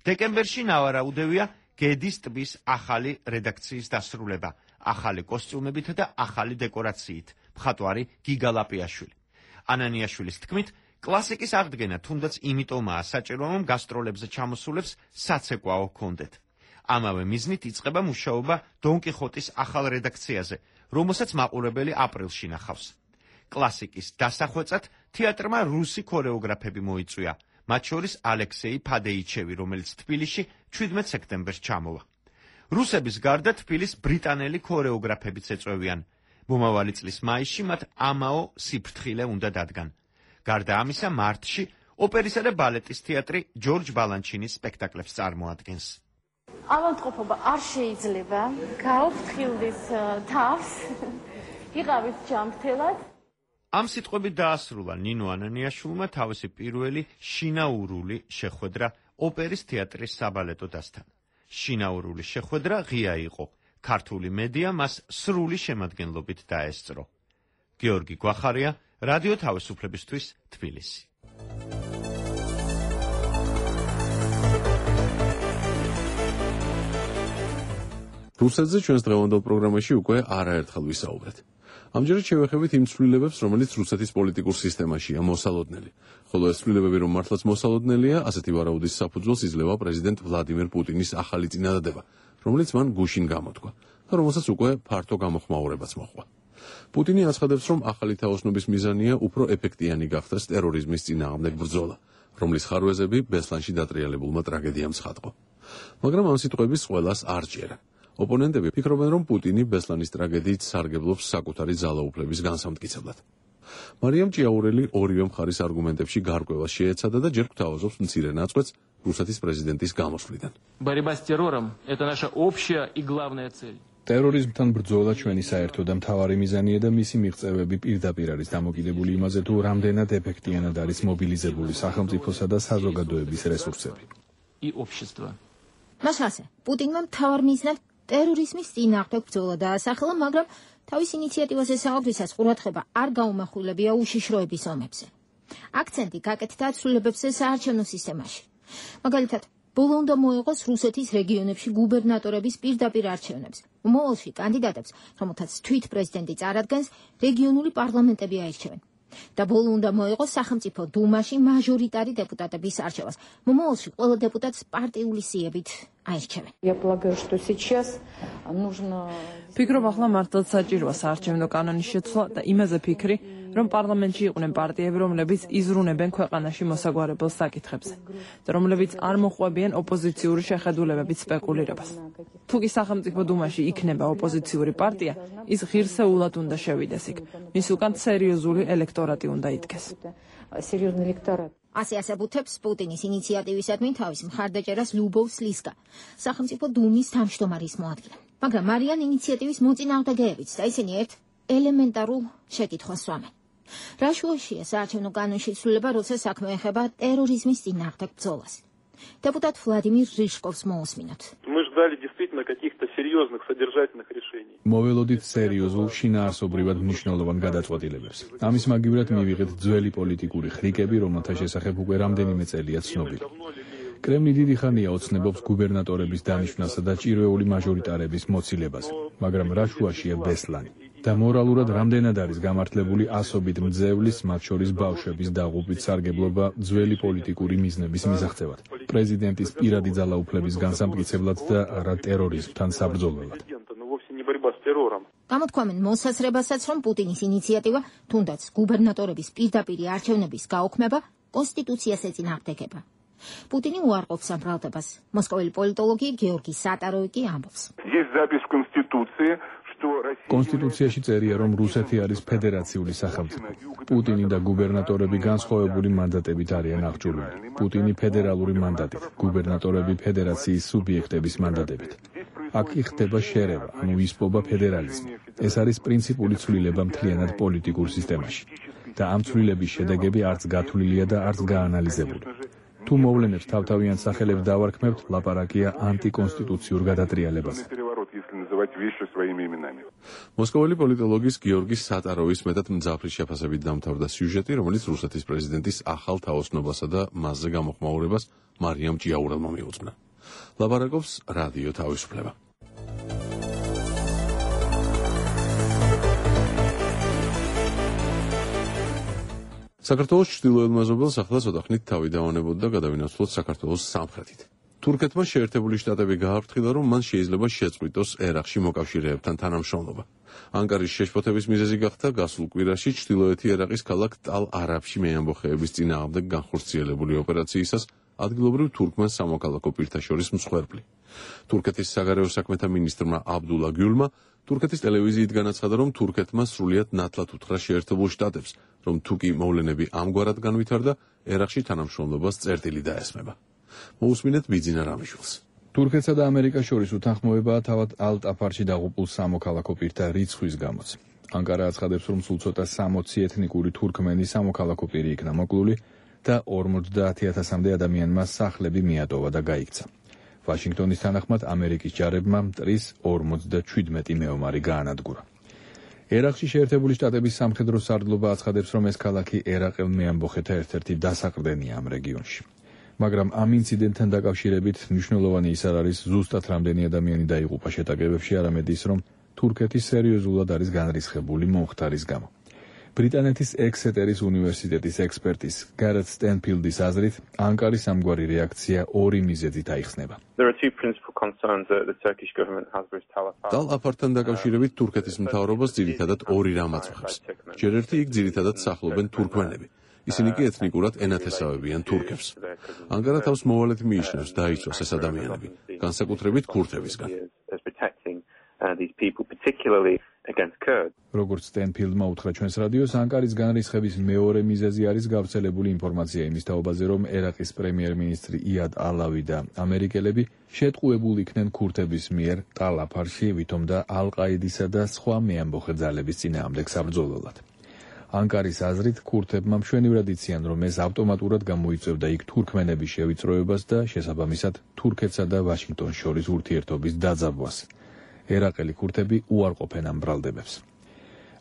დეკემბერში ნავარაუდევია გედის ტბის ახალი რედაქციის დასრულება, ახალი კოსტიუმებით და ახალი დეკორაციით, მხატვარი გიგა ლაპიაშვილი. ანანიაშვილის თქმით, კლასიკის აღდგენა თუნდაც იმიტომაა საჭირო, რომ გასტროლებზე ჩამოსულებს საცეკვაო ჰქონდეთ. ამავე მიზნით იწყება მუშაობა დონ კიხოტის ახალ რედაქციაზე, რომელსაც მაყურებელი აპრილში ნახავს. კლასიკის დასახვეწად თეატრმა რუსი ქორეოგრაფები მოიწვია, მათ შორის ალექსეი ფადეიჩევი, რომელიც თბილისში 17 სექტემბერს ჩამოვა. რუსების გარდა თბილის ბრიტანელი ქორეოგრაფებიც ეწვევიან. მომავალი წლის მაისში მათ ამაო სიფრთხილე უნდა დადგან. გარდა ამისა, მარტში ოპერისა და ბალეტის თეატრი ჯორჯ ბალანჩინის სპექტაკლებს წარმოადგენს. ავადმყოფობა არ შეიძლება, გაუფრთხილდეს თავს, იყავით ჯანმრთელად. ამ სიტყვებით დაასრულა ნინო ანანიაშვილმა თავისი პირველი შინაურული შეხვედრა ოპერის თეატრის საბალეტო დასთან. შინაურული შეხვედრა ღია იყო. ქართული მედია მას სრული შემადგენლობით დაესწრო. გიორგი გვახარია, რადიო თავისუფლებისთვის, თბილისი. რუსეთზე ჩვენს დღევანდელ პროგრამაში უკვე არაერთხელ ვისაუბრეთ. ამჯერად შევეხებით იმ ცვლილებებს, რომელიც რუსეთის პოლიტიკურ სისტემაშია მოსალოდნელი. ხოლო ეს ცვლილებები რომ მართლაც მოსალოდნელია, ასეთი ვარაუდის საფუძველს იძლევა პრეზიდენტ ვლადიმერ პუტინის ახალი წინადადება, რომელიც მან გუშინ გამოთქვა და რომელსაც უკვე ფართო გამოხმაურებაც მოჰყვა. პუტინი აცხადებს, რომ ახალი თაოსნობის მიზანია უფრო ეფექტიანი გახდეს ტერორიზმის წინააღმდეგ ბრძოლა, რომლის ხარვეზები ბესლანში დატრიალებულმა ტრაგედიამ ცხადყო. მაგრამ ამ სიტყვების ყველას არ ჭერა. ოპონენტები ფიქრობენ, რომ პუტინი ბესლანის ტრაგედიით სარგებლობს საკუთარი ძალაუფლების განსამტკიცებლად. მარიამ ჭიაურელი ორივე მხარის არგუმენტებში გარკვევას შეეცადა და ჯერ გვთავაზობს მცირე ნაწყვეტს რუსეთის პრეზიდენტის გამოსვლიდან. Борьба с террором – это наша общая и главная цель. ტერორიზმთან ბრძოლა ჩვენი საერთო და მთავარი მიზანია და მისი მიღწევები პირდაპირ არის დამოკიდებული იმაზე, თუ რამდენად ეფექტიანად არის მობილიზებული სახელმწიფოსა და საზოგადოების რესურსები. И общество. მასალზე, პუტინმა მთავარ მიზნად ტერორიზმის წინააღმდეგ ბრძოლა დაასახელა, მაგრამ თავის ინიციატივაზე საუბრისას ყურადღება არ გაუმახვილებია უშიშროების ომებზე. აქცენტი გაკეთდა ცვლილებებზე საარჩევნო სისტემაში. მაგალითად, ბოლო უნდა მოეღოს რუსეთის რეგიონებში გუბერნატორების პირდაპირ არჩევნებს. მომავალში კანდიდატებს, რომელთაც თვით პრეზიდენტი წარადგენს, რეგიონული პარლამენტები აირჩევენ. და ბოლო უნდა მოეღოს სახელმწიფო დუმაში მაჟორიტარი დეპუტატების არჩევას. მომავალში ყველა დეპუტატს პარტიული სიებით აირჩევენ. ფიქრობ, ახლა მართლაც საჭიროა საარჩევნო კანონის შეცვლა და იმაზე ფიქრი, რომ პარლამენტში იყვნენ პარტიები, რომლებიც იზრუნებენ ქვეყანაში მოსაგვარებელ საკითხებზე და რომლებიც არ მოყვებიან ოპოზიციური შეხედულებებით სპეკულირებას. თუ კი სახელმწიფო დუმაში იქნება ოპოზიციური პარტია, ის ღირსეულად უნდა შევიდეს იქ. მის უკან სერიოზული ელექტორატი უნდა იდგეს. ასე ასაბუთებს პუტინის ინიციატივისადმი თავის მხარდაჭერას ლუბოვ სლისკა, სახელმწიფო დუმის თავმჯდომარის მოადგილე. მაგრამ არიან ინიციატივის მოწინააღმდეგეებიც და ისინი ერთ ელემენტარულ შეკითხვას სვამენ. რა შუაშია საარჩევნო კანონში ცვლილება, როცა საქმე ეხება ტერორიზმის წინააღმდეგ ბრძოლას? Депутат Владимир Рыжковс მოусმინოთ. Мы ждали действительно каких-то серьезных содержательных решений. მოველოდით სერიოზულ შინაარსობრივად მნიშვნელოვან გადაწყვეტილებებს. ამის მაგივრად მივიღეთ ძველი პოლიტიკური ხრიკები, რომელთა შესახებ უკვე რამდენიმე წელია ცნობილი. კრემლი დიდი ხანია ოცნებობს გუბერნატორების დანიშვნასა და ჭირვეული მაჟორიტარების მოცილებაზე, მაგრამ რა შუაშია ბესლანი? და მორალურად რამდენად არის გამართლებული ასობით მძევლის, მათ შორის ბავშვების დაღუპვით სარგებლობა ძველი პოლიტიკური მიზნების მისაღწევად, პრეზიდენტის პირადი ძალაუფლების განსამტკიცებლად და არა ტერორიზმთან საბრძოლველად. გამოთქვამენ მოსასრებასაც, რომ პუტინის ინიციატივა, თუნდაც გუბერნატორების პირდაპირი არჩევნების გაუქმება, კონსტიტუციას ეწინააღმდეგება. პუტინი უარყოფს ამ ბრალდებას. მოსკოველი პოლიტოლოგი გეორგი სატაროვი კი ამბობს. კონსტიტუციაში წერია, რომ რუსეთი არის ფედერაციული სახელმწიფო. პუტინი და გუბერნატორები განსხვავებული მანდატებით არიან აღჭურვილი. პუტინი ფედერალური მანდატით, გუბერნატორები ფედერაციის სუბიექტების მანდატებით. აქ ხდება შერევა, ანუ ისპობა ფედერალიზმი. ეს არის პრინციპული ცვლილება მთლიანად პოლიტიკურ სისტემაში. და ამ ცვლილების შედეგები არც გათვლილია და არც გაანალიზებული. თუ მოვლენებს თავთავიან სახელებს დავარქმევთ, ლაპარაკია ანტიკონსტიტუციურ გადატრიალებაზე. მოსკოველი პოლიტოლოგის გიორგი სატაროვის მეტად მძაფრი შეფასებით დამთავრდა სიუჟეტი, რომელიც რუსეთის პრეზიდენტის ახალ თაოსნობასა და მასზე გამოხმაურებას მარიამ ჭიაურელმა მიუძღვნა. ლაპარაკობს რადიო თავისუფლება. საქართველოს ჩრდილოეთ მეზობელს ახლა ცოტა ხნით თავი დავანებოდა და გადავინაცვლოთ საქართველოს სამხრეთით. თურქეთმა შეერთებული შტატები გააფრთხილა, რომ მან შეიძლება შეწყვიტოს ერაყში მოკავშირეებთან თანამშრომლობა. ანკარის შეშფოთების მიზეზი გახდა გასულ კვირაში ჩრდილოეთი ერაყის ქალაქ ტალ-არაბში მეამბოხეების წინააღმდეგ განხორციელებული ოპერაციისას ადგილობრივ თურქმენ სამოქალაქო პირთა შორის მსხვერპლი. თურქეთის საგარეო საქმეთა მინისტრმა აბდულა გიულმა თურქეთის ტელევიზიით განაცხადა, რომ თურქეთმა სრულიად ნათლად უთხრა შეერთებულ შტატებს, რომ თუ კი მოვლენები ამგვარად განვითარდა, ერაყში თანამშრომლობას წერტილი დაესმება. მოусმინეთ ბიძინა რამიშვილს. თურქეთსა და ამერიკას შორის უთანხმოებაა თავად ალტ-აფარში დაღუპულ სამოქალაქო პირთა რიცხვის გამოც. ანკარა აცხადებს, რომ სულ ცოტა 60 ეთნიკური თურქმენი სამოქალაქო პირი იქნა მოკლული და 50,000-მდე ადამიანმა სახლები მიატოვა და გაიქცა. ვაშინგტონის თანახმად ამერიკის ჯარებმა მტრის 57 მეომარი გაანადგურა. ერაყში შეერთებული შტატების სამხედრო სარდლობა აცხადებს, რომ ეს ქალაქი ერაყელ მეამბოხეთა ერთ-ერთი დასაყრდენია ამ რეგიონში. მაგრამ ამ ინციდენტთან დაკავშირებით მნიშვნელოვანი ის არ არის ზუსტად რამდენი ადამიანი დაიღუპა შეტაკებებში, არამედ ის, რომ თურქეთი სერიოზულად არის განრისხებული მომხდარის გამო. ბრიტანეთის ექსეტერის უნივერსიტეტის ექსპერტის გარეთ სტენფილდის აზრით, ანკარის ამგვარი რეაქცია ორი მიზეზით აიხსნება. ტალ-აფართან დაკავშირებით თურქეთის მთავრობას ძირითადად ორი რამ აწუხებს. ჯერ ერთი იქ ძირითადად სახლობენ თურქმენები. ისინი კი ეთნიკურად ენათესავებიან თურქებს. ანკარა თავს მოვალედ მიიჩნევს დაიცვას ეს ადამიანები, განსაკუთრებით ქურთებისგან. როგორც სტენფილდმა უთხრა ჩვენს რადიოს, ანკარის განრისხების მეორე მიზეზი არის გავრცელებული ინფორმაცია იმის თაობაზე, რომ ერაყის პრემიერ-მინისტრი იად ალავი და ამერიკელები შეტყუებულ იქნენ ქურთების მიერ ტალ-აფარში, ვითომ და ალ-ყაიდისა და სხვა მეამბოხე ძალების წინააღმდეგ საბრძოლველად. ანკარის აზრით, ქურთებმა მშვენივრად იციან, რომ ეს ავტომატურად გამოიწვევდა იქ თურქმენების შევიწროებას და შესაბამისად თურქეთსა და ვაშინგტონს შორის ურთიერთობის დაძაბვას. ერაყელი ქურთები უარყოფენ ამ ბრალდებებს.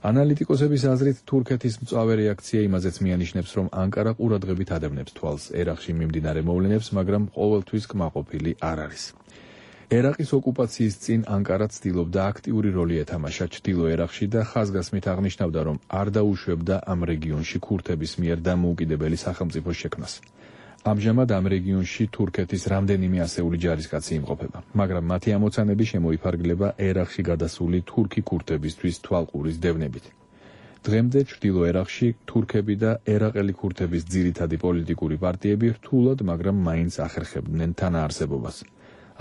ანალიტიკოსების აზრით, თურქეთის მწვავე რეაქცია იმაზეც მიანიშნებს, რომ ანკარა ყურადღებით ადევნებს თვალს ერაყში მიმდინარე მოვლენებს, მაგრამ ყოველთვის კმაყოფილი არ არის. ერაყის ოკუპაციის წინ ანკარა ცდილობდა აქტიური როლი ეთამაშა ჩრდილო ერაყში და ხაზგასმით აღნიშნავდა, რომ არ დაუშვებდა ამ რეგიონში ქურთების მიერ დამოუკიდებელი სახელმწიფოს შექმნას. ამჟამად ამ რეგიონში თურქეთის რამდენიმე ასეული ჯარისკაცი იმყოფება, მაგრამ მათი ამოცანები შემოიფარგლება ერაყში გადასული თურქი ქურთებისთვის თვალყურის დევნებით. დღემდე ჩრდილო ერაყში თურქები და ერაყელი ქურთების ძირითადი პოლიტიკური პარტიები რთულად, მაგრამ მაინც ახერხებდნენ თანაარსებობას.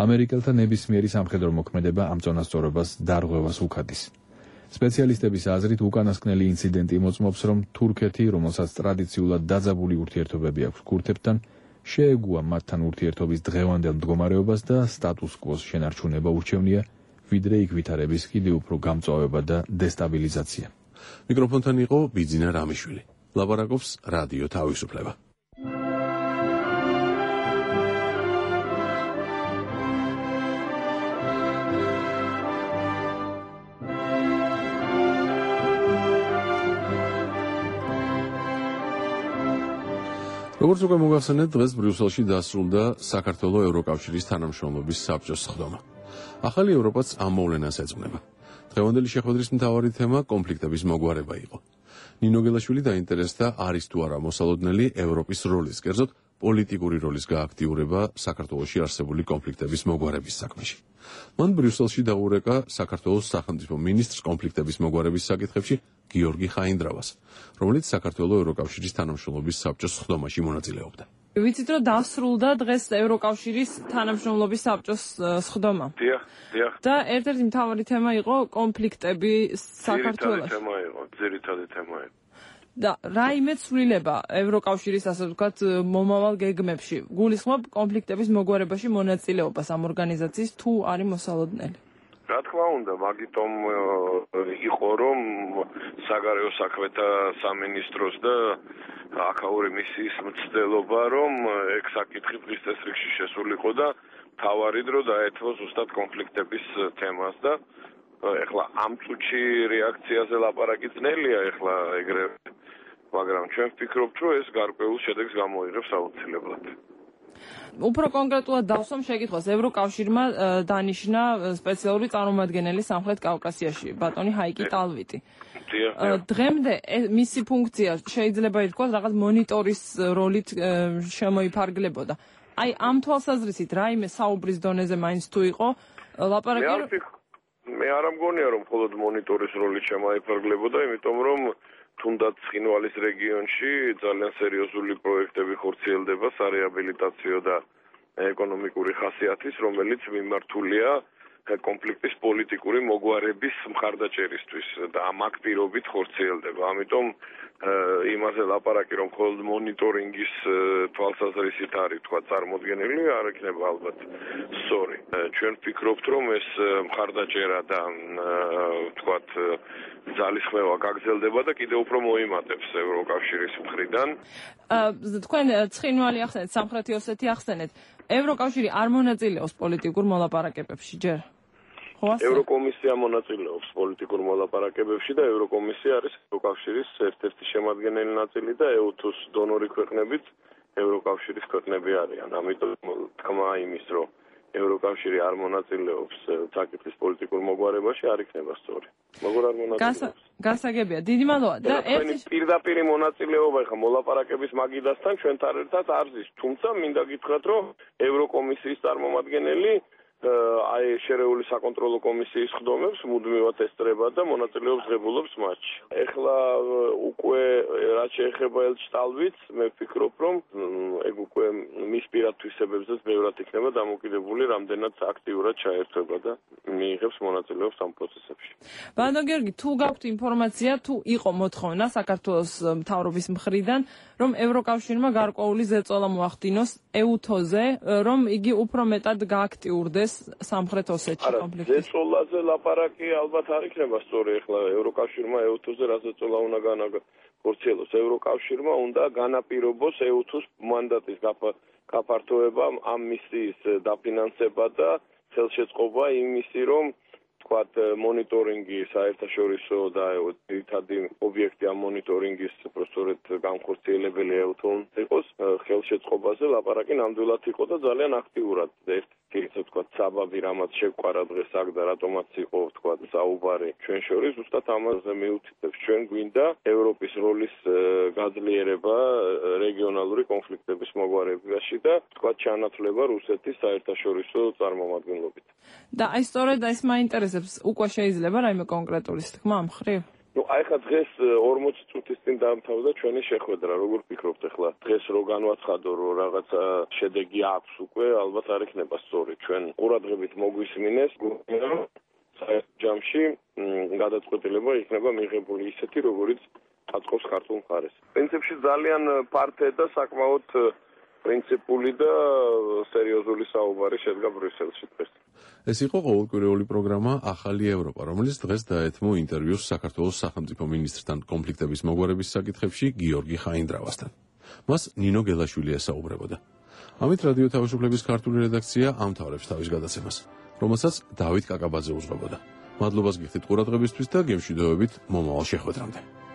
ამერიკელთა ნებისმიერი სამხედრო მოქმედება ამ წონასწორობას დარღვევას უქადის. სპეციალისტების აზრით, უკანასკნელი ინციდენტი მოწმობს, რომ თურქეთი, რომელსაც ტრადიციულად დაძაბული ურთიერთობები აქვს ქურთებთან, შეეგუა მათთან ურთიერთობის დღევანდელ მდგომარეობას და სტატუს-კვოს შენარჩუნება ურჩევნია, ვიდრე იქ ვითარების კიდევ უფრო გამწვავება და დესტაბილიზაცია. მიკროფონთან იყო ბიძინა რამიშვილი. ლაპარაკობს რადიო თავისუფლება. როგორც უკვე მოგახსენეთ, დღეს ბრიუსელში დასრულდა საქართველოს ევროკავშირის თანამშრომლობის საბჭოს სხდომა. ახალი ევროპაც ამ მოვლენას ეძღვნება. დღევანდელი შეხვედრის მთავარი თემა კონფლიქტების მოგვარება იყო. ნინო გელაშვილი დაინტერესდა არის თუ არა მოსალოდნელი ევროპის როლის, კერძოდ პოლიტიკური როლის გააქტიურება საქართველოში არსებული კონფლიქტების მოგვარების საქმეში. მან ბრიუსელში დაურეკა საქართველოს სახელმწიფო მინისტრს კონფლიქტების მოგვარების საკითხებში გიორგი ხაინდრავას, რომელიც საქართველოს ევროკავშირის თანამშრომლობის საბჭოს სხდომაში მონაწილეობდა. ვიცით რომ დასრულდა დღეს ევროკავშირის თანამშრომლობის საბჭოს სხდომა. დიახ. და ერთ-ერთი მთავარი თემა იყო კონფლიქტები საქართველოში. ძირითადი თემა იყო. და რაიმე ცვლილება ევროკავშირის ასე ვთქვათ მომავალ გეგმებში გულისხმობ კონფლიქტების მოგვარებაში მონაწილეობას ამ ორგანიზაციის თუ არის მოსალოდნელი? რა თქმა უნდა, მაგიტომ იყო რომ საგარეო საქმეთა სამინისტროს და აქაური მისიის მცდელობა რომ ეგ საკითხი დღის წესრიგში შესულიყო და თავარი დრო დაეთმო ზუსტად კონფლიქტების თემას და ეხლა ამ წუთში რეაქციაზე ლაპარაკი ძნელია ეხლა ეგრევე, მაგრამ ჩვენ ვფიქრობთ რომ ეს გარკვეულ შედეგს გამოიღებს აუცილებლად. უფრო კონკრეტულად დავსვამ შეკითხვას. ევროკავშირმა დანიშნა სპეციალური წარმომადგენელი სამხრეთ კავკასიაში, ბატონი ჰაიკი ტალვიტი. დღემდე მისი ფუნქცია შეიძლება ითქვას რაღაც მონიტორის როლით შემოიფარგლებოდა. აი ამ თვალსაზრისით რაიმე საუბრის დონეზე მაინც თუ იყო ლაპარაკი მე არ მგონია რომ მხოლოდ მონიტორის როლით შემოიფარგლებოდა, იმიტომ რომ თუნდაც ცხინვალის რეგიონში ძალიან სერიოზული პროექტები ხორციელდება სარეაბილიტაციო და ეკონომიკური ხასიათის, რომელიც მიმართულია კონფლიქტის პოლიტიკური მოგვარების მხარდაჭერისთვის და ამ აქტირობით ხორციელდება. ამიტომ იმაზე ლაპარაკი რომ მხოლოდ მონიტორინგის თვალსაზრისით არის თქვა წარმოდგენილი, არ იქნება ალბათ სწორი. ჩვენ ვფიქრობთ რომ ეს მხარდაჭერა და თქვა ძალისხმევა გაგრძელდება და კიდევ უფრო მოიმატებს ევროკავშირის მხრიდან. თქვენ ცხინვალი ახსენეთ, სამხრეთი ოსეთი ახსენეთ. ევროკავშირი არ მონაწილეობს პოლიტიკურ მოლაპარაკებებში ჯერ? ევროკომისია მონაწილეობს პოლიტიკურ მოლაპარაკებებში და ევროკომისია არის ევროკავშირის ერთ-ერთი შემადგენელი ნაწილი და EUTUS დონორი ქვეყნებით ევროკავშირის ქვეყნები არიან. ამიტომ თქმა იმის, რომ ევროკავშირი არ მონაწილეობს საკითხის პოლიტიკურ მოგვარებაში არ იქნება სწორი. როგორ არ მონაწილეობს? გასაგებია. დიდი მადლობა. და ერთი პირდაპირ მონაწილეობა ხა მოლაპარაკების მაგიდასთან ჩვენთან ერთად არ ზის. თუმცა მინდა გითხრათ, რომ ევროკომისიის წარმომადგენელი აი შერეული საკონტროლო კომისიის ხდომებს მუდმივად ესწრება და მონაწილეობს ღებულობს მათში. ეხლა უკვე რაც შეეხება ელჩტალვიც, მე ვფიქრობ, რომ ეგ უკვე მის პირად თვისებებზეც ბევრად იქნება დამოკიდებული, რამდენად აქტიურად ჩაერთვება და მიიღებს მონაწილეობს ამ პროცესებში. ბატონ გიორგი, თუ გაქვთ ინფორმაცია, თუ იყო მოთხოვნა საქართველოს მთავრობის მხრიდან, რომ ევროკავშირმა გარკვეული ზეწოლა მოახდინოს EUTOS-ზე, რომ იგი უფრო მეტად გააქტიურდეს სამხრეთ ოსეთში კონფლიქტი. ზეწოლაზე ლაპარაკი ალბათ არ იქნება სწორი. ეხლა ევროკავშირმა EUTOS-ზე რა ზეწოლა უნდა განახორციელოს? ევროკავშირმა უნდა განაპირობოს EUTOS მანდატის გაფართოება, ამ მისიის დაფინანსება და ხელშეწყობა იმისი, რომ თქვათ მონიტორინგი საერთაშორისო და ერთადი ობიექტი ამ მონიტორინგის პროცესორეთ განხორციელებელი EUTOS იყოს ხელშეწყობაზე ლაპარაკი ნამდვილად იყო და ძალიან აქტიურად ერთი თქვათ საბაბი რამაც შეგვყარა დღეს აქ და რატომაც იყო თქვათ საუბარი ჩვენ შორის ზუსტად ამაზე მიუთითებს. ჩვენ გვინდა ევროპის როლის გაძლიერება რეგიონალური კონფლიქტების მოგვარებაში და თქვათ ჩანაცვლება რუსეთის საერთაშორისო წარმომადგენლობით. და აი სწორედ ეს მაინტერესებს, უკვე შეიძლება რაიმე კონკრეტული თქმა ამ მხრივ? აი ხა დღეს 40 წუთის წინ დაამთავრდა ჩვენი შეხვედრა. როგორ ფიქრობთ ახლა დღეს რო განვაცხადო რომ რაღაცა შედეგი აქვს უკვე, ალბათ არ იქნება სწორი. ჩვენ ყურადღებით მოგვისმინეს, რომ ჯამში გადაწყვეტილება იქნება მიღებული ისეთი, როგორიც აწყობს ქართულ მხარეს. პრინციპში ძალიან ფართე და საკმაოდ პრინციპული და სერიოზული საუბარი შედგა ბრიუსელში დღეს. ეს იყო ყოველკვირეული პროგრამა ახალი ევროპა, რომელიც დღეს დაეთმო ინტერვიუს საქართველოს სახელმწიფო მინისტრთან კონფლიქტების მოგვარების საკითხებში გიორგი ხაინდრავასთან. მას ნინო გელაშვილი ესაუბრებოდა. ამით რადიო თავისუფლების ქართული რედაქცია ამთავრებს თავის გადაცემას, რომელსაც დავით კაკაბაძე უძღვებოდა. მადლობას გიხდით ყურადღებისთვის და გემშვიდობებით მომავალ შეხვედრამდე.